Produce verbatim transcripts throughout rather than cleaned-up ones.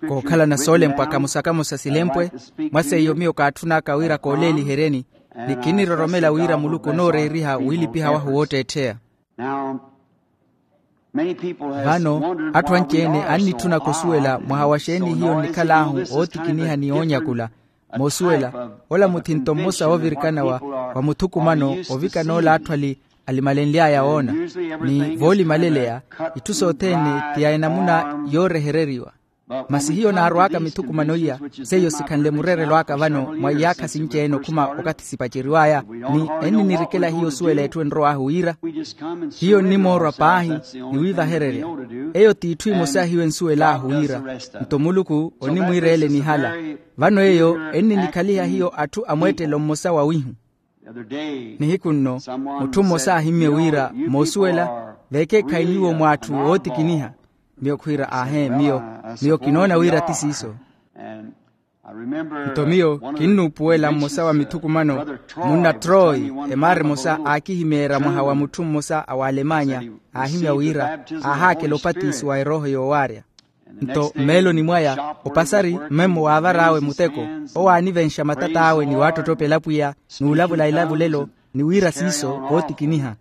Kookhalana soolempwa kamosa-kamosa silempwe. Mwa seiyo miyo kaatthunaka wira kooleeliheryeni, ni kinniroromela wira muluku onooreeriha wiilipiha wahu wootteettheya. Vano atthu anci-ene annitthunaka osuwela mwaha wa xeeni hiyo nnikhal'ahu ootikiniha ni oonyakula. Moosuwela, ola muthinto mmosa woovirikana wa muthukumano ovikana ola atthu ali alimalenly'aya woona, ni voolimaleleya itthu sothene ti ya enamuna yoorehereriwa. Masi hiyo naarw'aka mithukumano iya, seiyo sikhanle mureerelo aka vano mwa iyaakha sinci-ene okhuma okathi sipaceriw'aya, ni enninirikela hiyo osuwela etthu enrow'ahu wira. Hiyo nnimoorwa paahi ni wiivahererya. Eyo t'itthu emosa hiyo ensuwel'ahu wira, nto muluku onimwiira ele nihala. Vano eyo enninikhaliha hiyo atthu a mweettelo mmosa wawihu. Nihiku nno mutthu mmosa aahimmye wira, moosuwela, veekeekhayi nyuwo mw'atthu ootikiniha. Miyo khwiira, aahee, miyo miyo kinoona wira ti siiso. Nto miyo kinnuupuwela mmosa wa mithukumano, munna troy, emaara emosa aakihimeerya mwaha wa mutthu mmosa a w'alemanya, aahimya wira aahaakela opatisiwa erooho yoowaarya. Nto mmeeloni mwaya opasari mmemmo waavar'awe muteko, owo aanivenxa matat'awe ni waattottopela pwiya, n'ulavula elavulelo, ni wira siiso wootikiniha.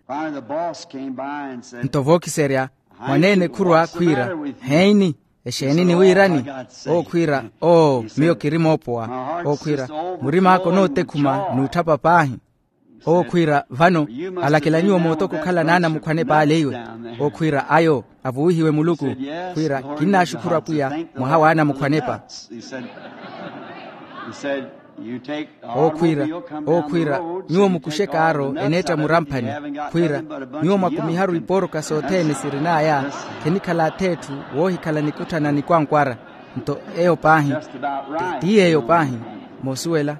Nto vookiserya mwaneene khurwa khwiira, heeni, exeeni niwiirani? Owo khwiira, oo, miyo kiri moopowa. Owo khwiira, murim'aka onootekhuma n'utthapa paahi. Owo khwiira, vano alakela nyuwo mootoko okhalana anamukhwanepa ale iwe? Owo khwiira, ayo avuwihiwe muluku. Khwiira, kinnaaxukhura pwiya mwaha w'anamukhwanepa. Owo khwiira, owo khwiira, nyuwo mukuxe kaaro eneetta muramphani. Khwiira, nyuwo mwakumiharu ipooroka sothene sirin'aya, khenikhala ath'etthu woohikhala nikutthana nikwankwara. Nto eyo paahi, ti yeeyo paahi. Moosuwela,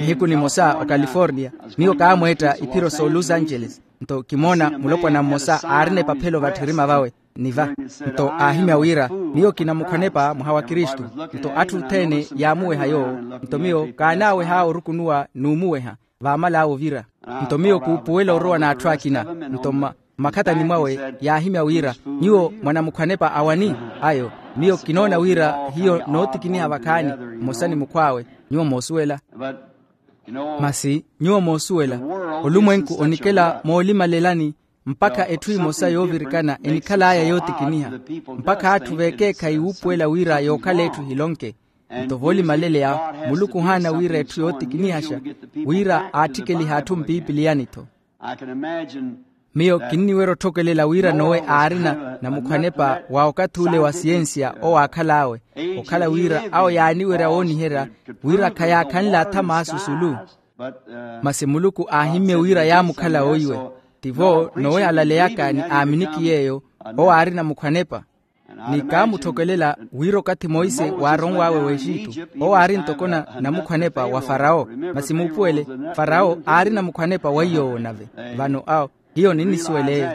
nihiku nimosa ocalifornia, miyo kaamweetta iphiro s'olos angeles. Nto kimoona mulopwana mmosa aarina epaphelo vatthirima vawe, ni va. Nto aahimya wira, miyo kinamukhwanepa mwaha wa kristu. Nto atthu othene yaamuweha yoowo. Nto miyo kaanaaweh'awe orukunuwa n'umuweha, vaamal'awe ovira. Nto miyo kuupuwela orowa n'atthu akina. Nto mma mmakhatani mwawe yaahimya wira, nyuwo mwanamukhwanepa awani? Ayo, miyo kinoona wira hiyo nootikiniha vakhaani, mmosa ni mukhw'awe. Nyuwo moosuwela. Masi nyuwo moosuwela, olumwenku onikela moolimalelani mpakha etthu emosa yoovirikana enikhal'aya yootikiniha, mpakha atthu veekeekhayi wuupuwela wira yookhala etthu ehilonke. Nto voolimaleleya, muluku ohaana wira etthu yootikinihaxa, wira aatthikelihe atthu mpiipiliyani-tho. Miyo kinniwerya otthokelela wira nowe aarina namukhwanepa wa okathi ule wa siyensiya owo aakhal'awe, okhala wira awo yaaniwerya wooniherya wira khayaakhanle athama asusulu. Masi muluku aahimmye wira yaamukhala oiwe. Tivo nowe alaleyaka ni aaminiki yeeyo, owo aari namukhwanepa. Ni kaamutthokelela wira okathi monse waaronw'awe w'exitu, owo aari ntoko namukhwanepa wa farawo. Masi muupuwele, farawo aari namukhwanepa wa iy'owo nave. Vano awo hiyo ninnisuwela eyo.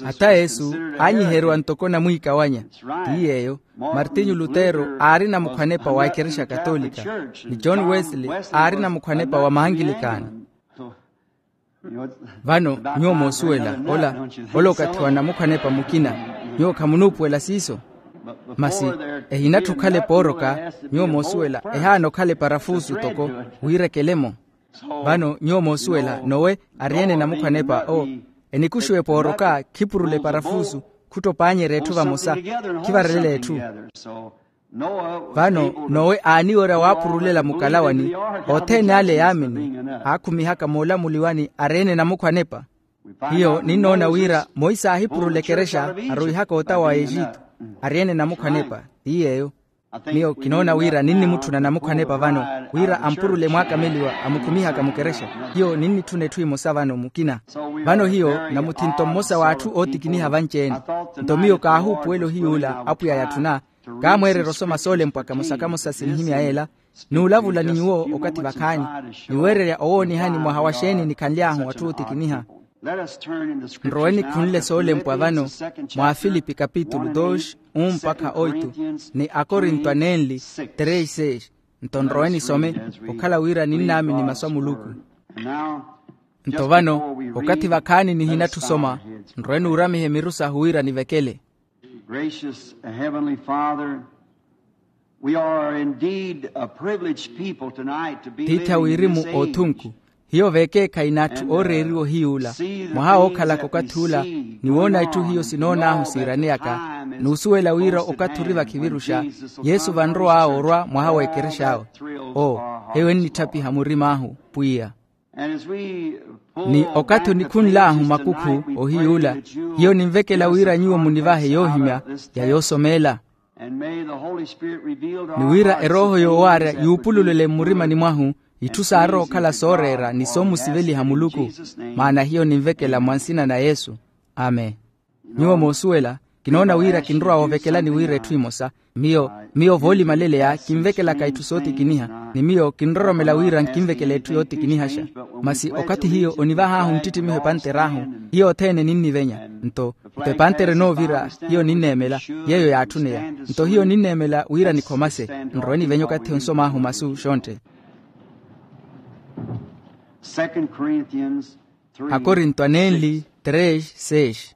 Hata yesu aanyiheriwa ntoko namwiikawanya. Ti yeeyo, martinyu lutero aari namukhwanepa wa ekerexa katolika, ni john wesley aari namukhwanepa wa maangilikani. Vano nyuwo moosuwela ola, ola okathi wa namukhwanepa mukina. Nyuwo khamunuupuwela siiso. Masi ehinatthi okhala epooroka, nyuwo moosuwela ehaana okhala eparafuusu toko wiirekele-mo. Vano nyuwo moosuwela nowe ari-ene namukhwanepa o, enikuxiwa epooroka khipurula eparafuusu, khuttopanyerya etthu vamosa, khivarelela etthu. Vano nowe aaniwerya waapurulela mukalawani, othene ale yaamini, aakhumihaka moolamuliwani ari-ene namukhwanepa. Hiyo ninnoona wira monse aahipurula ekerexa, aruwihaka ota wa exitu, ari-ene namukhwanepa. Ti yeeyo. Miyo kinoona wira ninnimutthuna namukhwanepa vano, wira ampurule mwaakameliwa amukhumihaka mukerexa. Hiyo ninnitthuna etthu emosa vano mukina. Vano hiyo namuthinto mmosa w'atthu ootikiniha vanci-ene. Nto miyo kaahuupuwela ohiy'ula apwiya yatthuna, kaamweererya osoma soolempwa kamosa-kamosa sinihimya yeela, n'ulavula ni nyuwo okathi vakhaani, ni weererya owoonihani mwaha wa xeeni nikhanly'ahu atthu ootikiniha. Nrowe nikhunle soolempwa vano mwa afilipi kapitulu dos, un mpakha oitu, ni akorinto anenli, tres seis. Nto nrowe nisome, okhala wira ninnaamini masu a muluku. Nto vano, okathi vakhaani nihinatthu osoma, nrowe nuuramihe miru sahu wira nivekele. Gracious Heavenly Father, we are indeed a privileged people tonight to be tiithi a living in this wirimu age. Oothunku, hiyo veekeekhayi n'atthu ooreeriwa ohiy'ula mwaha wookhalaka okathi ula, ni woona itthu hiyo sinoon'ahu siiraneyaka, n'usuwela wira okathi ori vakhiviruxa yesu vanrow'awe orwa mwaha w'ekerex'awe. Oo, heyo ennitthaphiha murim'ahu pwiya. Ni okathi onikhunl'ahu makukhu ohiy'ula, hiyo ninvekela wira nyuwo munivahe yoohimya ya yoosomeela. Ni wira erooho yoowaarya yuupululele mmurimani mwahu itthu saarowa okhala sooreera ni soomusiveliha muluku. Maana hiyo ninvekela mwa nsina na yesu. Amen. Nyuwo moosuwela, kinoona wira kinrowa wovekelani wira etthu emosa. Miyo miyo voolimaleleya kinvekelaka itthu sootikiniha, ni miyo kinroromela wira nkinvekele etthu yootikinihaxa. Masi okathi hiyo onivah'ahu nttittimiho epanter'ahu, hiyo othene ninnivenya. Nto nto epantere enoovira, hiyo ninneemela yeeyo yaatthuneya. Nto hiyo ninneemela wira nikhomase nrowe nivenya okathi onsom'ahu masu xontthe. Akorinto anenli tres seis.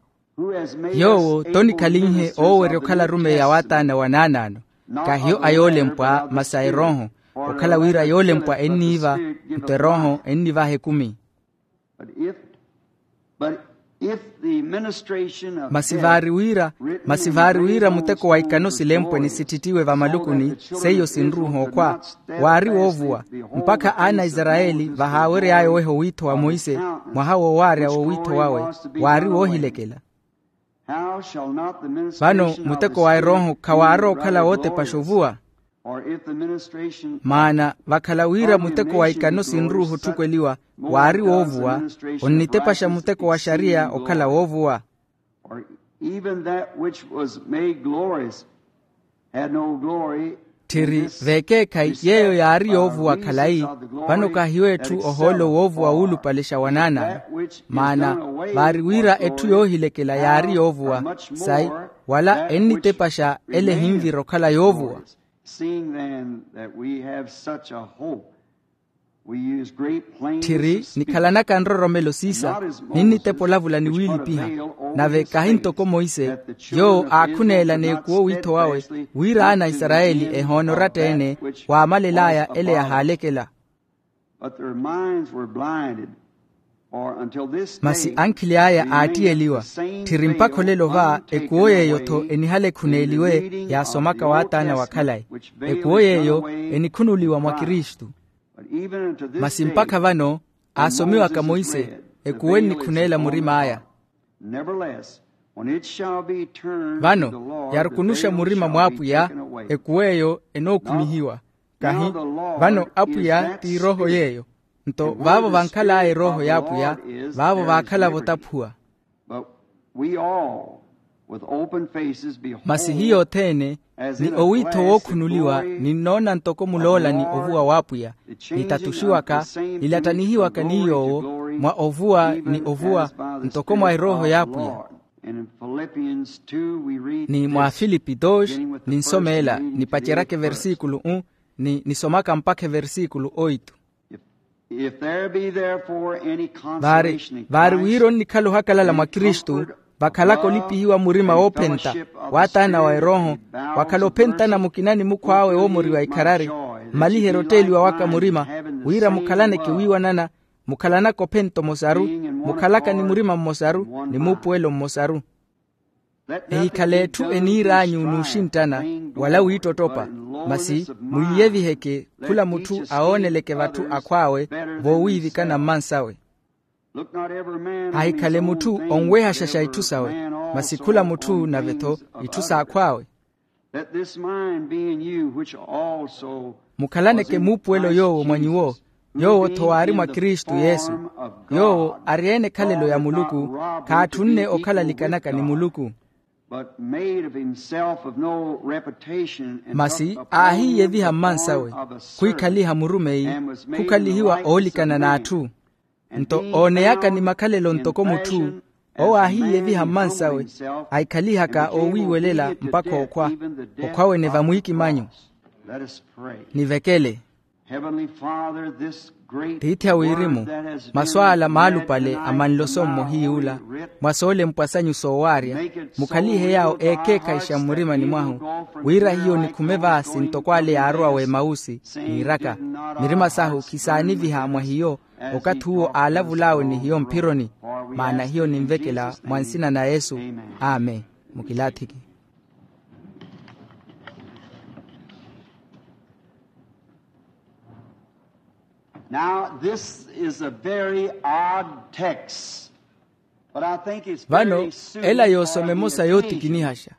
Yoowo tonikhalinhe oowerya okhala arumeyi a waataana wa naanaano, kahiyo a yoolempwa masi a erooho. Okhala wira yoolempwa enniiva, nto erooho ennivaha ekumi. Masi vaari wira masi vaari wira muteko wa ikano silempwe ni sitthittiwe vamalukuni, seiyo sinruuha okhwa, waari woovuwa. Mpakha aana a isarayeli vahaawery'aya oweha owiitho wa monse, mwaha woowaarya w'owiitho wawe waari woohilekela. Vano muteko wa erooho khawaarowa okhala wootepaxa ovuwa? Maana vakhala wira muteko wa ikano sinruuha otthukweliwa waari woovuwa, onnitepaxa muteko wa xariya okhala woovuwa. Tthiri veekeekhayi yeeyo yaari yoovuwa khalayi. Vano kahiyo etthu ohoolo woovuwa wuulupale xa wanaanaano. Maana vaari wira etthu yoohilekela yaari yoovuwa, sayi wala ennitepaxa ele ehinvira okhala yoovuwa. Tthiri nikhalanaka nroromelo siisa, ninnitepa olavula ni wiilipiha. Nave kahi ntoko monse, yoowo aakhuneela n'ekuwo wiitho wawe, wira aana a isarayeli ehoona oratta-ene waamalel'aya ele yahaalekela. Masi ankhili aya aattiyeliwa. Tthiri mpakha olelo va ekuwo yeeyo-tho enihala ekhuneeliwe yaasomaka waataana wa khalayi. Ekuwo yeeyo enikhunuliwa mwa kristu. Masi mpakha vano aasomiwaka monse, ekuwo ennikhuneela murim'aya. Vano yarukunuxa murima mw'apwiya, ekuwo eyo enookhumihiwa. Kahi vano apwiya ti erooho yeeyo. Nto vaavo vankhal'aya erooho y'apwiya, vaavo vaakhala votaphuwa. Masi hiyo othene, ni owiitho wookhunuliwa, ninnoona ntoko muloola ni ovuwa w'apwiya, nitatuxiwaka, nilattanihiwaka ni yoowo mwa ovuwa ni ovuwa, ntoko mwa erooho y'apwiya. Ni mwa filipi dos, ninsomeela nipaceryaka eversikulu un, ni nisomaka mpakha eversikulu oitu. Vaari vaari wira onnikhala ohakalala mwa kristu, vakhalaka olipihiwa murima woophenta, waataana wa erooho, wakhala ophentana mukina ni mukhw'awe woomoriwa ikharari, mmaliherya otteeliwa waka murima, wira mukhalaneke wiiwanana, mukhalanaka ophenta omosaru, mukhalaka ni murima mmosaru ni muupuwelo mmosaru. Ehikhale etthu eniir'anyu n'uxinttana, wala wiittottopa, masi muiyeviheke khula mutthu awooneleke vatthu akhw'awe, voowiivikana mmansawe. Ahikhale mutthu onwehaxaxa itthu sawe, masi khula mutthu nave-tho itthu s'akhw'awe. Mukhalaneke muupuwelo yoowo mwa nyuwo, yoowo-tho waari mwa kristu yesu. Yoowo ari-ene ekhalelo ya muluku, khaatthunne okhalalikanaka ni muluku. Masi aahiiyeviha mmansawe, khwikhaliha murumeyi, khukhalihiwa oolikana n'atthu. Nto ooneyaka ni makhalelo ntoko mutthu, owo aahiiyeviha mmansawe, ahikhalihaka oowiiwelela mpakha okhwa, okhwa wene vamwiikimanyu. Nivekele. Heavenly Father, this Tiithi a wirimu, masu ala maalupale a manloso mmohiy'ula, mwa soolempwa sanyu soowaarya, mukhalihe yaawo eekeekhayixa mmurimani mwahu, wira hiyo nikhume vaasi ntoko ale yaarowa w'emausi, niiraka, mirima sahu khisaaniviha mwa hiyo, okathi uwo aalavul'awe ni hiyo mphironi. Maana hiyo ninvekela mwa nsina na yesu. Amen. Mukilaathiki. Now this is a very odd text, but I think it's very suited for here. Vano ela yoosoma emosa yootikinihaxa,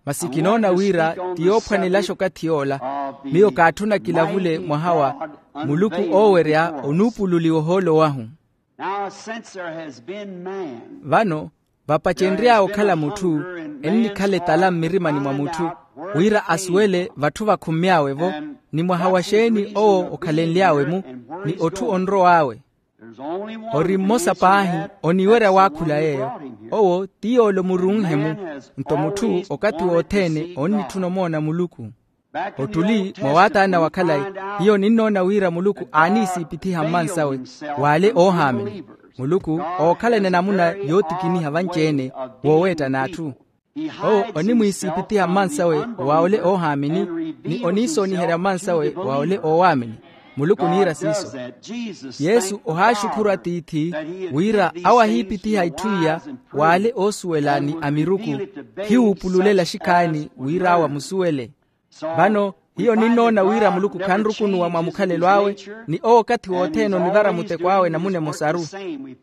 masi kinoona wira ti yoophwanelaxa okathi yoola. Miyo kaatthuna kilavule mwaha wa muluku oowerya onuupululiwa ohoolo wahu. Now since there has been man, vano vapacenry'awe okhala mutthu, ennikhala etala mmirimani mwa mutthu, wira asuwele vatthu vakhummy'awe-vo, ni mwaha wa xeeni owo okhalenly'awe-mu, ni otthu onrow'awe. Ori mmosa paahi oniwerya waakhula yeeyo, owo ti yoole omurunhe-mu. Nto mutthu okathi wothene onnitthuna omoona muluku. Ottuli mwa waataana wa khalayi, hiyo ninnoona wira muluku aaniisiipithiha mmansawe w'ale oohaamini. Muluku ookhalana enamuna yootikiniha vanci-ene, wooweetta n'atthu. Owo onimwiisiipithiha mmansawe wa ole oohaamini, ni oniisooniherya mmansawe wa ole oowaamini. Muluku oniira siiso. Yesu ohaaxukhuru atiithi, wira awo ahiipithiha itthu iya w'ale oosuwela ni amiruku, khiwuupululela xikhaani wira awo amusuwele. Vano hiyo ninnoona wira muluku khanrukunuwa mwa mukhalelo awe, ni owo okathi wothene onivara muteko awe enamuna emosaru.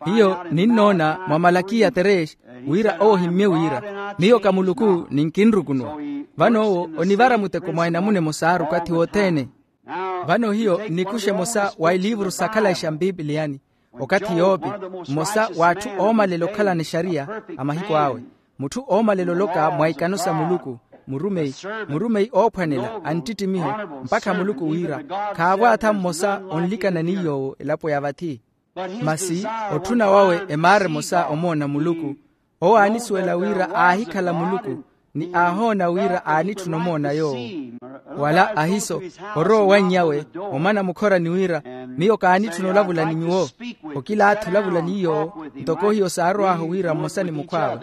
Hiyo ninnoona mwa malakiya terex, wira owo ohimmye wira miyo ka muluku, ni nkinrukunuwa. Vano owo onivara muteko mwa enamuna emosaru okathi wothene. Vano hiyo nnikuxa emosa wa eliivuru sakhalayi xa mpipiliyani, okathi yoopi, mmosa w'atthu oomalela okhalana exariya a mahiku awe, mutthu oomalela oloka mwa ikano sa muluku, murumeyi, murumeyi oophwanela a nttittimiho, mpakha muluku wira khaavo atha mmosa onlikana ni yoowo elapo ya vathi. Masi otthuna wawe emaara emosa omoona muluku, owo aanisuwela wira aahikhala muluku, ni aahoona wira aanitthuna omoona yoowo. Wala ahiso orowa owannyawe, omana mukhorani wira miyo kaanitthuna olavula ni nyuwo, okilaathi olavula ni yoowo, ntoko hiyo saarow'ahu wira mmosa ni mukhw'awe.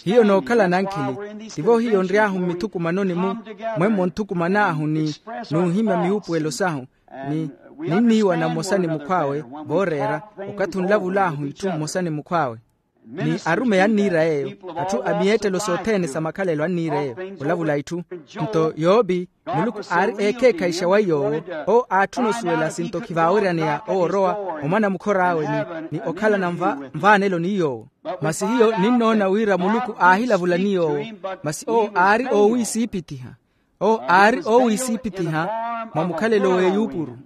Hiyo nookhala nankhili, tivo hiyo nry'ahu mmithukumanoni-mu, mwemmo nthukuman'ahu ni nuuhimya miwuupuwelo sahu, ni ninniiwana mmosa ni mukhw'awe, vooreera okathi onlavul'ahu itthu mmosa ni mukhw'awe. Ni arumeyi anniira yeeyo, atthu a miyeettelo sothene sa makhalelo anniira yeeyo olavula itthu. Nto yoopi, muluku aari eekheekhayixa wa yoowo, owo aatthuna osuwela sinto khivaaweryaneya owo orowa, omana mukhor'awe ni okhalana nvaanelo ni yoowo. Masi hiyo ninnoona wira muluku aahilavula ni yoowo, masi owo aari oowiisiipithiha. Owo aari oowiisiipithiha mwa mukhalelo w'eyuupuru.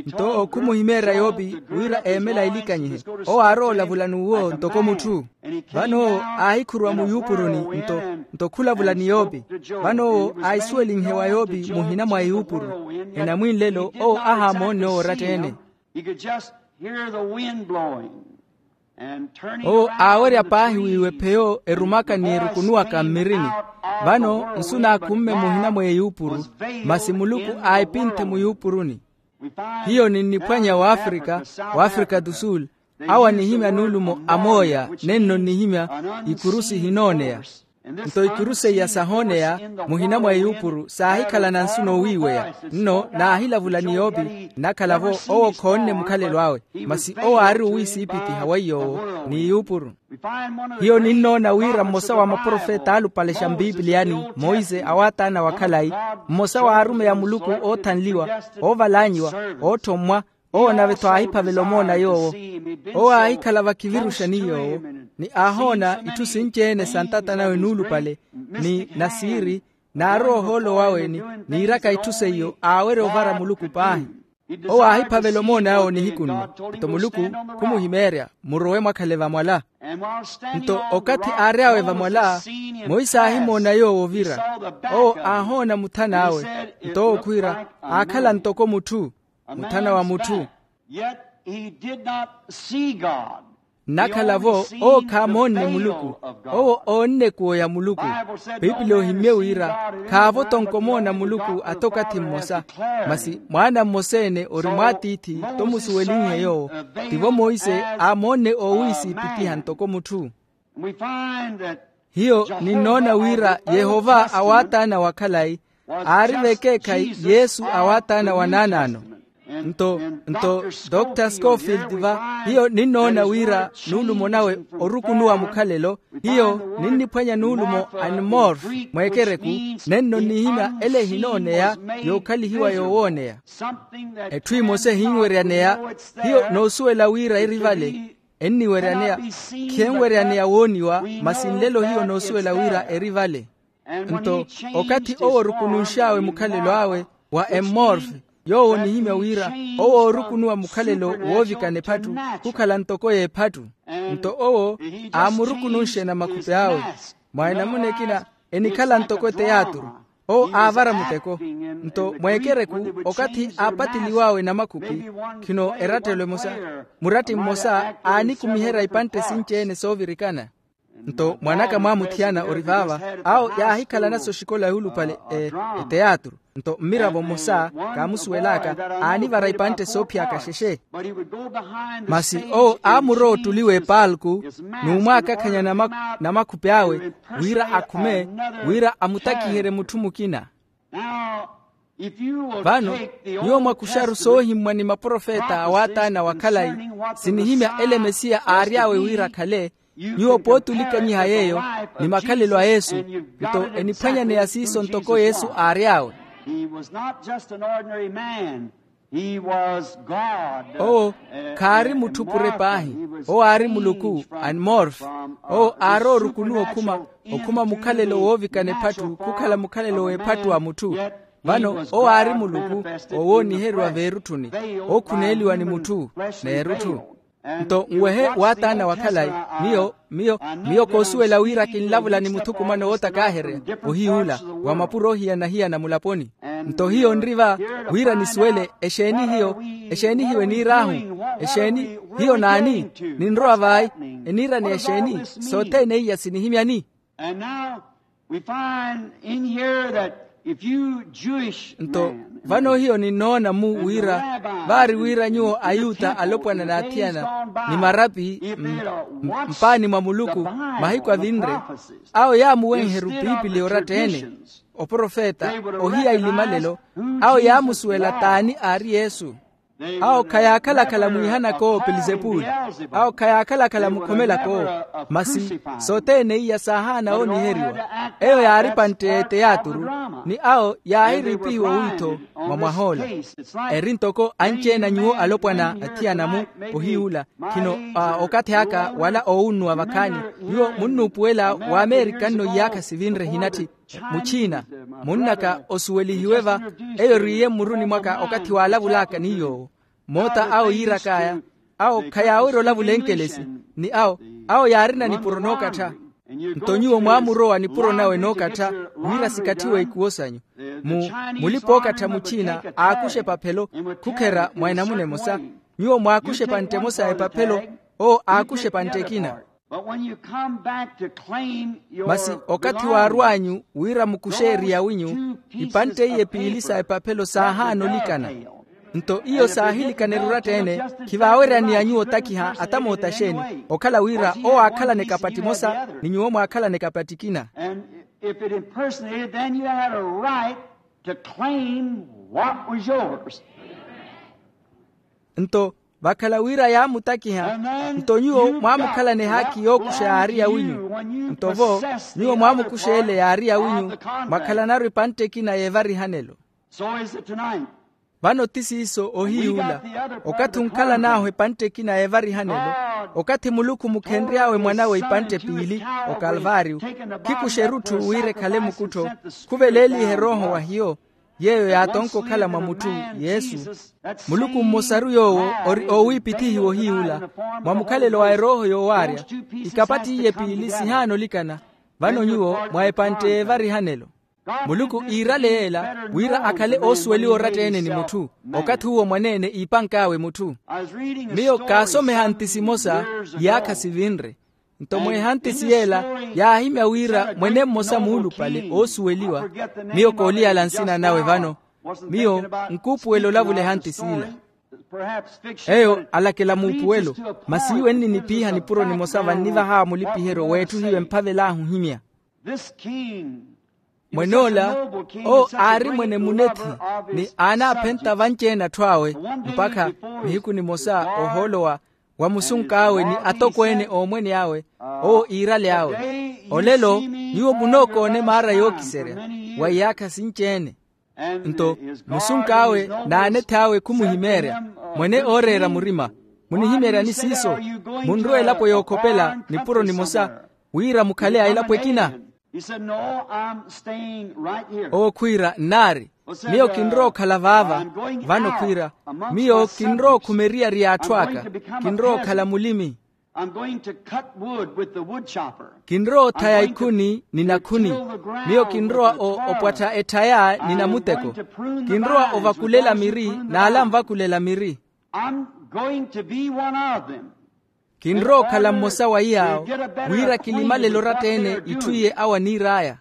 Nto owo khumuhimeerya yoopi wira eemela elikanyihe, owo aarowa olavula n'uwo ntoko mutthu. Vano owo aahikhuruwa muyuupuruni nto nto khulavula ni yoopi. Vano owo aahisuwelinhe wa yoopi muhina mwa eyuupuru. Enamwinlelo owo ahaamoonne owo oratta-ene. Owo aawerya paahi wiiwe pheyo erumaka ni erukunuwaka mmirini. Vano nsu naakhumme muhina mwa eyuupuru, masi muluku aahipinthe muyuupuruni. Hiyo ninniphwanya w'afrika, w'afrika do sul, awo anihimya nuulumo amooya, nenno nnihimya ikurusi ehinooneya. Nto ikurusi iya sahooneya muhina mwa eyuupuru saahikhalana nsu noowiiweya. Nno naahilavula ni yoopi nnakhala-vo owo khoonne mukhalelo awe, masi owo aari owiisiipithiha wa yoowo ni eyuupuru. Hiyo ninnoona wira mmosa wa maprofeta aalupale xa mpipiliyani, monse awaataana wa khalayi, mmosa w'arumeyi a muluku oothanliwa, oovalanyiwa, oothommwa, owo nave-tho aahiphavela omoona yoowo. Owo aahikhala vakhiviruxa ni yoowo, ni aahoona itthu sinci-ene sa ntata nawe nuulupale, ni nasiiri, naarowa ohoolo wawe ni niiraka itthu seiyo aawerya ovara muluku paahi. Owo aahiphavela omoona yoowo nihiku nno. Nto muluku khumuhimeerya, murowe mwakhale vamwala. Nto okathi aary'awe vamwala, monse aahimoona yoowo ovira. Owo aahoona muthan'awe, nto owo khwiira aakhala ntoko mutthu, muthana wa mutthu. Yet he did not see God. Nnakhala-vo owo khaamoonne muluku. Owo oonne ekuwo ya muluku. Piipili ohimmye wira khaavo tonko omoona muluku ata okathi mmosa. Masi mwaana mmosa-ene ori mwaatiithi, tomusuwelinhe yoowo. Tivo monse aamoonne oowiisiipitiha ntoko mutthu. Hiyo ninnoona wira yehova awaataana wa khalayi aari vekeekhayi yesu awaataana wa naanaano. Nto nto dr scofield va hiyo ninnoona wira nuulumo nawe orukunuwa mukhalelo. Hiyo ninniphwanya nuulumo animorf mweekereku nenno nnihimya ele ehinooneya yookhalihiwa yoowooneya. Etthu emosa ehinweryaneya hiyo noosuwela wira eri vale. Enniweryaneya khenweryaneya wooniwa masi nlelo hiyo noosuwela wira eri vale. Nto okathi owo orukununx'awe mukhalelo awe wa emmorfe yoowo onihimya wira owo oorukunuwa mukhalelo woovikana ephattu khukhala ntoko y'ephattu. Nto owo aamurukununxe na makhupi awe mwa enamuna ekina enikhala ntoko eteyaaturu. Owo aavara muteko. Nto mweekereku okathi aapatiliw'awe namakhupi khino erattelo emosa muratti mmosa aanikumiherya ipantte sinci-ene soovirikana. Nto mwanaka mwaamuthiyana ori vaava awo yaahikhalana soxikola yuulupale eteyaaturu. Nto mmiravo mmosa kaamusuwel'aka aanivara ipantte soophiyaka xexe. Masi owo aamurowa ottuli w'epaalku n'umwaakakhanya namakhupi awe wira akhume wira amutakiherye mutthu mukina. Vano nyuwo mwakuxaru soohimmwa ni maprofeta awaataana wa khalayi sinihimya ele mesiya aary'awe wira akhale. Nyuwo pootulikanyiha yeeyo ni makhalelo a yesu nto eniphwanyaneya siiso ntoko yesu aary'awe. Owo khaari mutthu pure paahi. Owo aari muluku animorfe. Owo aarowa orukunuwa okhuma okhuma mukhalelo woovikana ephattu khukhala mukhalelo w'ephattu wa mutthu. Vano owo aari muluku owooniheriwa veerutthuni ookhuneeliwa ni mutthu n'erutthu. Nto nwehe waataana wa khalayi miyo miyo miyo koosuwela wira kinlavula ni muthukumano wootakaaherya ohiy'ula wa mapuro ohiyana-hiyana mulaponi. Nto hiyo nri va wira nisuwele exeeni hiyo exeeni hiyo eniir'ahu exeeni hiyo naani? Ninrowa vayi eniiraneya exeeni sothene iya sinihimyani? Nto vano hiyo ninnoona-mu wira vaari wira nyuwo ayuta alopwana n'athiyana ni marapi mpaani mwa muluku mahiku avinre awo yaamuwenheru piipili oratta-ene oprofeta ohiya ilimalelo awo yaamusuwela t'ani aari yesu. Awo khayaakhala-khala mwiihanaka owo pelizepuli awo khayaakhala-khala mukhomelaka owo. Masi sothene iya saahaana ooniheriwa eyo yaari pantte y'eteyaaturu ni awo yaahiriipihiwa owiitho mwa mwah'ola. Eri ntoko anci-ene a nyuwo alopwana athiyana-mu ohiy'ula khino okathi aka wala oowunnuwa vakhaani nyuwo munnuupuwela w'amerika nno iyaakha sivinre hinatthi muchina munnaka osuwelihiwe va eyo eriiye mmuruni mwaka okathi waalavul'aka ni yoowo. Moota awo yiirak'aya awo khayaawerya olavula enkelesi ni awo awo yaarina nipuro nookattha. Nto nyuwo mwaamurowa nipuro nawe nookattha wira sikatthiwe ikuwo sanyu mu mulipa-ookattha muchina aakuxa epaphelo khukherya mwa enamuna emosa nyuwo mwaakuxa epantte emosa ya epaphelo owo aakuxa epantte ekina. Masi okathi waarw'anyu wira mukuxe eri yawinyu ipantte iye piili sa epaphelo saahaana olikana. Nto iyo saahilikana eruratta-ene khivaaweryaneya nyuwo otakiha ata moota xeeni okhala wira owo aakhalana ekapatti emosa ni nyuwo mwaakhalana ekapatti ekina. If it impersonated then you had a right to claim what was yours. Nto vakhala wira yaamutakiha nto nyuwo mwaamukhalana ehaakhi yookuxa yaari yawinyu. Nto vo nyuwo mwaamukuxa ele yaari yawinyu mwakhalanaru epantte ekina y'evarihanelo. Vano ti siiso ohiy'ula okathi onkhalan'ahu epantte ekina y'evarihanelo okathi muluku mukhenry'awe mwan'awe ipantte piili okalvaariyu khikuxa erutthu wira ekhale mukuttho khuveleeliha erooho wa hiyo yeeyo yaatonka okhala mwa mutthu yesu. Muluku mmosaru yoowo ori oowiipithihiwa ohiy'ula mwa mukhalelo wa erooho yoowaarya ikapattiye piili sihaana olikana. Vano nyuwo mwa epantte y'evarihanelo Muluku iirale yeela wira akhale oosuweliwa oratta-ene ni mutthu. Okathi uwo mwaneene iipank'awe mutthu. Miyo kaasomeha nti simosa iyaakha sivinre. Nto mweeha ntisi yeela yaahimya wira mwene mmosa muulupale oosuweliwa. Miyo kooliyala nsina nawe vano. Miyo nkuupuwela olavula eha ntisi ila. Eyo alakela muupuwelo. Masi iwe nninipiiha nipuro nimosa vannivahawa mulipiheryo w'etthu hiyo emphavel'ahu ohimya. Mwen'ola owo aari mwene munethi, ni aanaaphenta vanci-ene atthu awe, mpakha nihiku nimosa ohoolo wa musunk'awe ni atokweene oomwene awe, owo iirale awe. Olelo nyuwo munookoone maara yookiserya wa iyaakha sinci-ene. Nto musunk'awe n'anethi awe khumuhimeerya, mwene ooreera murima, munihimeeryani siiso? Munrowa elapo yookhopela nipuro nimosa wira mukhale a elapo ekina. Owo khwiira nnaari, miyo kinrowa okhala vaava. Vano khwiira, miyo kinrowa okhumeriyariya atthu aka, kinrowa okhala mulimi. Kinrowa othaya ikhuni ni nakhuni. Miyo kinrowa opwattha etthaya ni namuteko. Kinrowa ovakulela miri n'ale anvakulela miri. Kinrowa okhala mmosa wa iyaawo, wira kilimalele oratta-ene itthu iye awo aniir'aya.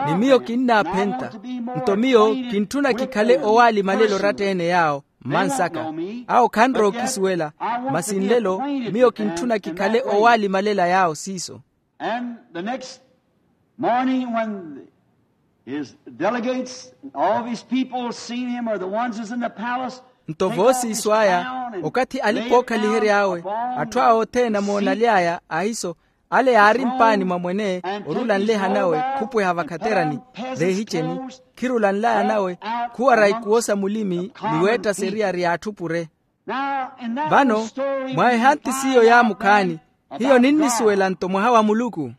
Ni miyo kinnaaphenta. Nto miyo kintthuna kikhale owaalimalela oratta-ene yaawo mmansaka. Awo khanrowa okisuwela. Masi nlelo miyo kintthuna kikhale owaalimalela yaawo siiso. And the next morning, when his delegates and all of his people seen him, or the ones who's in the palace, nto voosiiso aya, okathi alipa ookhalihery'awe, atthu awo othene amoonaly'aya ahiso, ale yaari mpaani mwa mwene orula nleha nawe khupweha vakhaterani, veehiceni, khirula nlaya nawe khuwara ikuwo sa mulimi ni weetta seriyari y'atthu pure. Vano mwa ehanti s'iyo yaamukhaani, hiyo ninnisuwela nto mwaha wa muluku.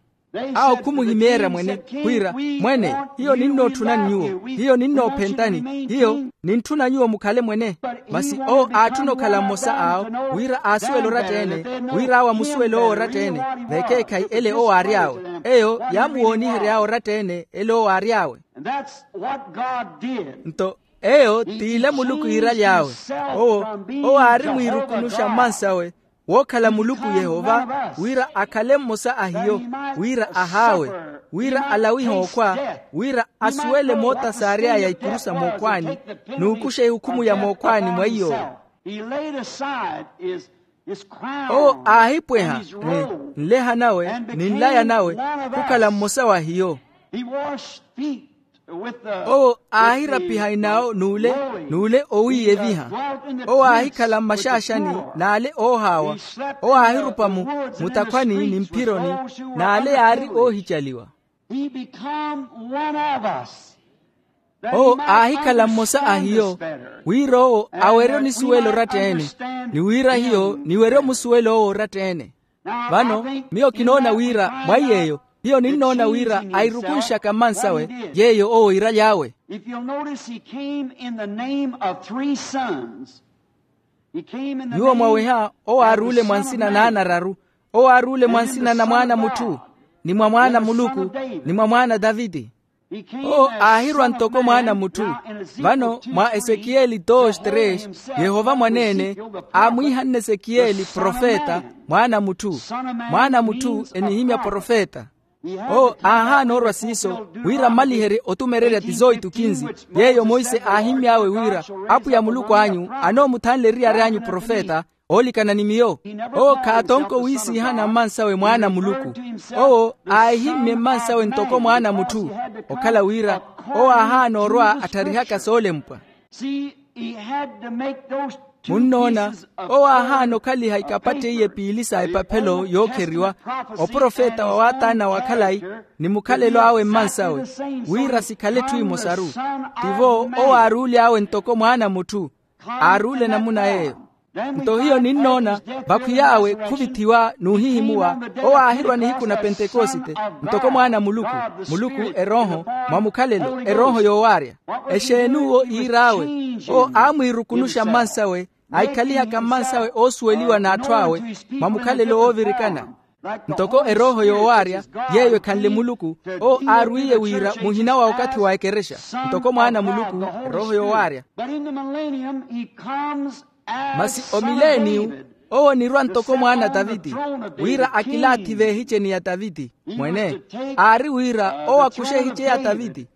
Awo khumuhimeerya mwene, wira, mwene, hiyo ninnootthunani nyuwo, hiyo ninnoophentani, hiyo nintthuna nyuwo mukhale mwene. Masi owo aatthuna okhala mmosa awo, wira aasuwele oratta-ene, wira awo amusuwele owo oratta-ene. Vekeekhayi ele owo aary'awe. Eyo yaamuwoonihery'awe oratta-ene ele owo aary'awe. Nto eyo t'ile muluku iiraly'awe. Owo, owo aari mwiirukunuxa mmansawe wookhala muluku yehova, wira akhale mmosa a hiyo, wira ahaawe, wira alawihe okhwa, wira asuwele moota saary'aya ikuru sa mookhwaani, n'ukuxa ehukhumu ya mookhwaani mwa iy'owo. Owo aahipweha nleha nawe ni nlaya nawe khukhala mmosa wa hiyo. Owo aahirapiha inaawo n'ule, n'ule owiiyeviha. Owo aahikhala mmaxaaxani n'ale oohaawa. Owo aahirupa mu mutakhwani ni mphironi, n'ale yaari oohicaliwa. Owo aahikhala mmosa a hiyo, wira owo awerye onisuwela oratta-ene, ni wira hiyo niwerye omusuwela owo oratta-ene. Vano miyo kinoona wira mwa iy'eyo, hiyo ninnoona wira airukunxaka mmansawe yeeyo owo iiraly'awe. If you'll notice, he came in the name of three sons. Nyuwo mwaweha, owo aaruule mwa nsina n'ana araru. Owo aaruule mwa nsina na mwaana mutthu, ni mwa mwaana muluku, ni mwa mwaana daviti. Owo aahirwa ntoko mwaana mutthu. Vano mwa esekiyeli dois tres, yehova mwaneene aamwiihanne esekiyeli profeta, mwaana mutthu. Mwaana mutthu enihimya profeta. Owo aahaana orwa siiso, wira mmaliherye otumererya ti zooitukinzi, yeeyo monse aahimmy'awe wira apwiya muluku anyu anoomuthanle eriyari anyu profeta, oolikana ni miyo. Owo khaatonko wiisiihana mmansawe mwaana a muluku. Owo aahimmye mmansawe ntoko mwaana a mutthu, okhala wira owo aahaana orwa attharihaka soolempwa. Munnoona, owo aahaana okhaliha ikapatteiye piili sa epaphelo yookheriwa, oprofeta wa waataana wa khalayi, ni mukhalelo awe mmansawe, wira sikhale etthu emosaru. Tivo owo aaruuly'awe ntoko mwaana a mutthu, aaruule namuna yeeyo. Nto hiyo ninnoona, vakhwiy'awe khuvithiwa n'uhihimuwa. Owo aahirwa nihiku na pentekosite, ntoko mwaana a muluku, muluku erooho, mwa mukhalelo erooho yoowaarya. Exeen'uwo iir'awe? Owo aamwiirukunuxa mmansawe, aikhalihaka mmansawe oosuweliwa n'atthu awe, mwa mukhalelo woovirikana. Ntoko erooho yoowaarya, yeeyo ekhanle muluku, owo aarwiiye wira muhina wa okathi wa ekerexa, ntoko mwaana a muluku, erooho yoowaarya. Masi omileniyu, owo onirwa ntoko mwaana a taviti, wira akilaathi v'ehiceni ya taviti. Mwene, aari wira owo akuxe ehice ya taviti.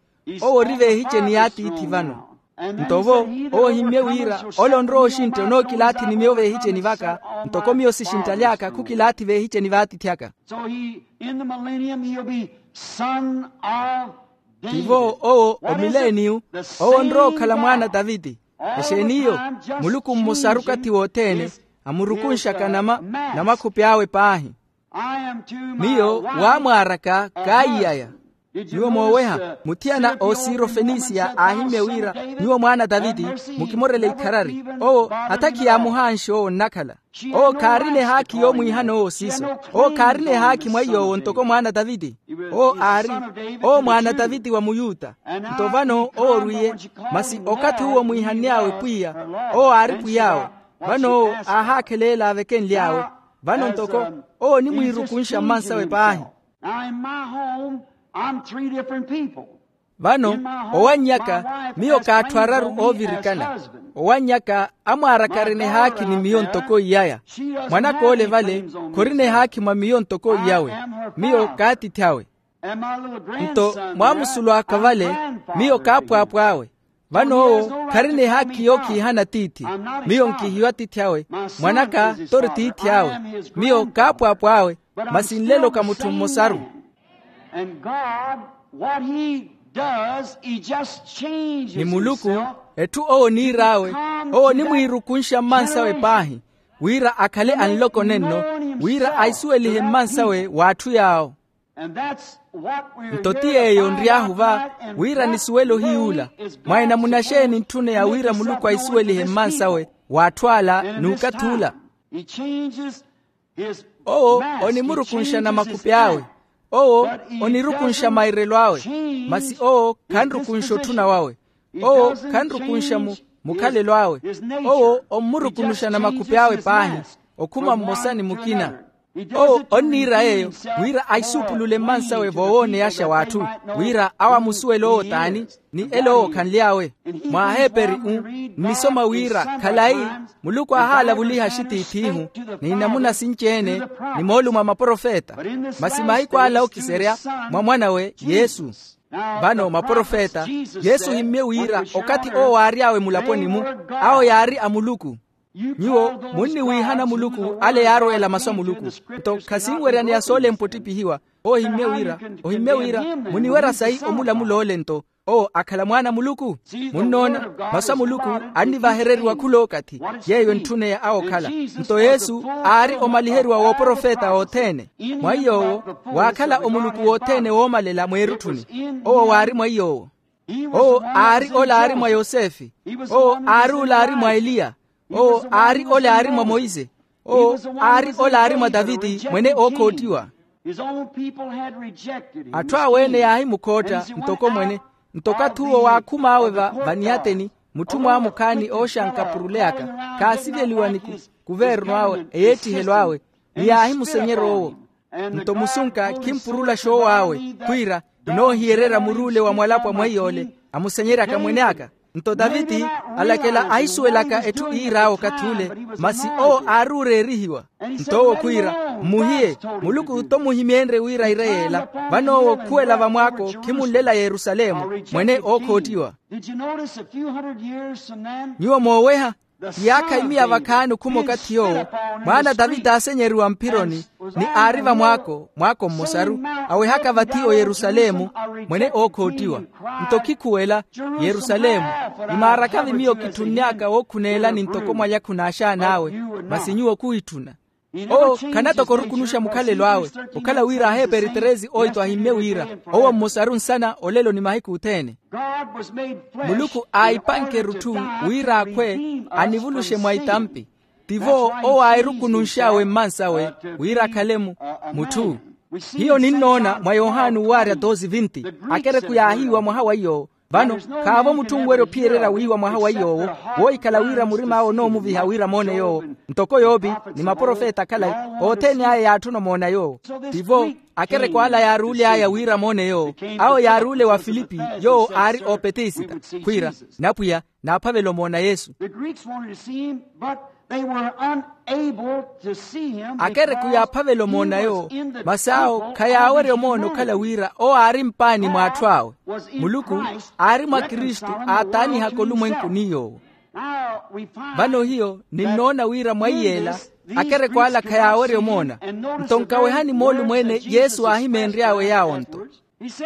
Owo ori v'ehiceni y'atiithi vano. Nto vo, owo ohimmye wira, ole onrowa oxintta onookilaathi ni miyo v'ehiceni vaka, ntoko miyo sixinttaly'aka khukilaathi v'ehiceni v'atiithi aka. Tivo owo omileniyu, owo onrowa okhala mwaana a taviti. Exeeni iyo? Muluku mmosaru okathi wothene, amurukunxaka nama, namakhupi awe paahi. Miyo waamwaaraka kaaiyaya. Nyuwo mooweha muthiyana a osirofenisiya aahimmye wira, nyuwo mwaana a taviti, mukimorele ikharari. Owo hata khiyaamuhaanxe owo nnakhala. Owo khaarina ehaakhi yoomwiihana owo siiso. Owo khaarina ehaakhi mwa iy'owo ntoko mwaana a taviti. Owo aari, owo mwaana a taviti wa muyuta. Nto vano owo orwiiye, masi okathi uwo omwiihanny'awe pwiya, owo aari pwiy'awe. Vano owo aahaakheleela avekenly'awe. Vano ntoko owo onimwiirukunxa mmansawe paahi. Vano owanny'aka, miyo k'atthu araru oovirikana. Owanny'aka amwaarakarina ehaakhi ni miyo ntoko iyaya. Mwan'aka ole vale khorina ehaakhi mwa miyo ntoko iyawe. Miyo k'atiithi awe. Nto mwaamusulu aka vale, miyo kaapwaapw'awe. Vano owo kharina ehaakhi yookhiihana tiithi. Miyo nkihiyo atiithi awe. Mwan'aka t'ori tiithi awe. Miyo kaapwaapw'awe. Masi nlelo ka mutthu mmosaru. Ni muluku, etthu owo oniir'awe, owo onimwiirukunxa mmansawe paahi, wira akhale anloko nenno, wira aisuwelihe mmansawe w'atthu yaawo. Nto ti yeeyo nry'ahu va, wira nisuwele ohiy'ula. Mwa enamuna xeeni ntthuneya wira muluku aisuwelihe mmansawe w'atthu ala n'ukathi ula? Owo onimurukunxa namakhupi awe. Owo onirukunxa mairelo awe. Masi owo khanrukunxa otthuna wawe. Owo khanrukunxa mu mukhalelo awe. Owo ommurukunuxa namakhupi awe paahi, okhuma mmosa ni mukina. Owo onniira yeeyo, wira aisuupulule mmansawe voowoneyaxa w'atthu, wira awo amusuwele owo t'ani, ni ele owo khanly'awe. Mwa aheeperi-u, nnisoma wira khalayi, muluku aahaalavuliha axitiithi-ihu, ni namuna sinci-ene, ni moolumo a maprofeta. Masi mahiku ala ookiserya, mwa mwan'awe yesu. Vano maprofeta, yesu ohimmye wira okathi owo waary'awe mulaponi-mu, awo yaari a muluku. Nyuwo munniwiihana muluku ale yaarweela masu a muluku. Nto khasinweryaneya soolempa ottiphihiwa. Owo ohimmye wira, ohimmye wira muniwerya sayi omulamula ole nto owo akhala mwaana a muluku. Munnoona, masu a muluku annivahereriwa khula okathi. Yeeyo entthune ya awo okhala. Nto yesu aari omaliheriwa w'oprofeta othene. Mwa iy'owo waakhala omuluku wothene woomalela mweerutthuni. Owo waari mwa iy'owo. Owo aari ole aari mwa yosefe. Owo aari ole aari mwa eliya. Owo aari ole aari mwa moise. Owo aari ole aari mwa taviti mwene ookhoottiwa. Atthu awe-ene yaahimukhootta ntoko mwene. Nto okathi uwo waakhum'awe va vaniyateni, mutthu mwamukhaani ooxanka puruleyaka khaasiveliwa ni kuvernu awe eyeettihelo awe. Ni yaahimusenyerya owo. Nto musunka khimpurula xoow'awe, khwiira, kinoohiyererya muruule wa mwalapwa mwa iy'ole amusenyeryaka mwene aka. Nto taviti alakela ahisuwelaka etthu iir'awe okathi ule, masi owo aari oreerihiwa. Nto owo khwiira, mmuhiye, muluku t'omuhimyenrye wira ire yeela. Vano owo khuwela vamwaako khimunlela yerusalemu, mwene ookhoottiwa. Nyuwo mooweha, iyaakha imiya vakhaani okhuma okathi yoowo, mwaana a taviti aasenyeriwa mphironi, ni aari vamwaako mwaako mmosaru, awehaka vathi oyerusalemu, mwene ookhoottiwa. Nto khikhuwela, yerusalemu, imaaraka-vi miyo kitthunny'aka wookhuneelani ntoko mwalyakhu n'axaan'awe, masi nyuwo khuhitthuna. Owo khanatoko orukunuxa mukhalelo awe. Okhala wira aheeperi treze oito ahimmye wira, owo mmosaru nsana olelo ni mahiku othene. Muluku aahipanke erutthu wira akhwe anivuluxe mwa itampi. Tivo owo aahirukununx'awe mmansawe wira akhale mutthu. Hiyo ninnoona mwa yohani owaarya doze vinti, akereku yaahiiwa mwaha wa iyo. Vano khaavo mutthu onwerya ophiyererya wiiwa mwaha wa iy'owo, woohikhala wira murim'awe onoomuviha wira moone yoowo. Ntoko yoopi ni maprofeta akhalayi, othene aya yaatthuna omoona yoowo. Tivo, akerekwaala yaaruule aya wira moone yoowo. Awo yaaruule wa filipi, yoowo aari oopetisita, khwiira, napwiya, naaphavela omoona yesu. The Greeks wanted to see him, but they were unable to see him. Akereku yaaphavela omoona yoowo, masi awo khayaawerya omoona okhala wira owo aari mpaani mwa atthu awe. Muluku aari mwa kristu, aataanihaka olumwenku ni yoowo. Vano hiyo ninnoona wira mwa iyeela akerekw'ala khayaawerya omoona. Nto nkawehani moolumo ene yesu aahimeenry'awe yaawo-nto.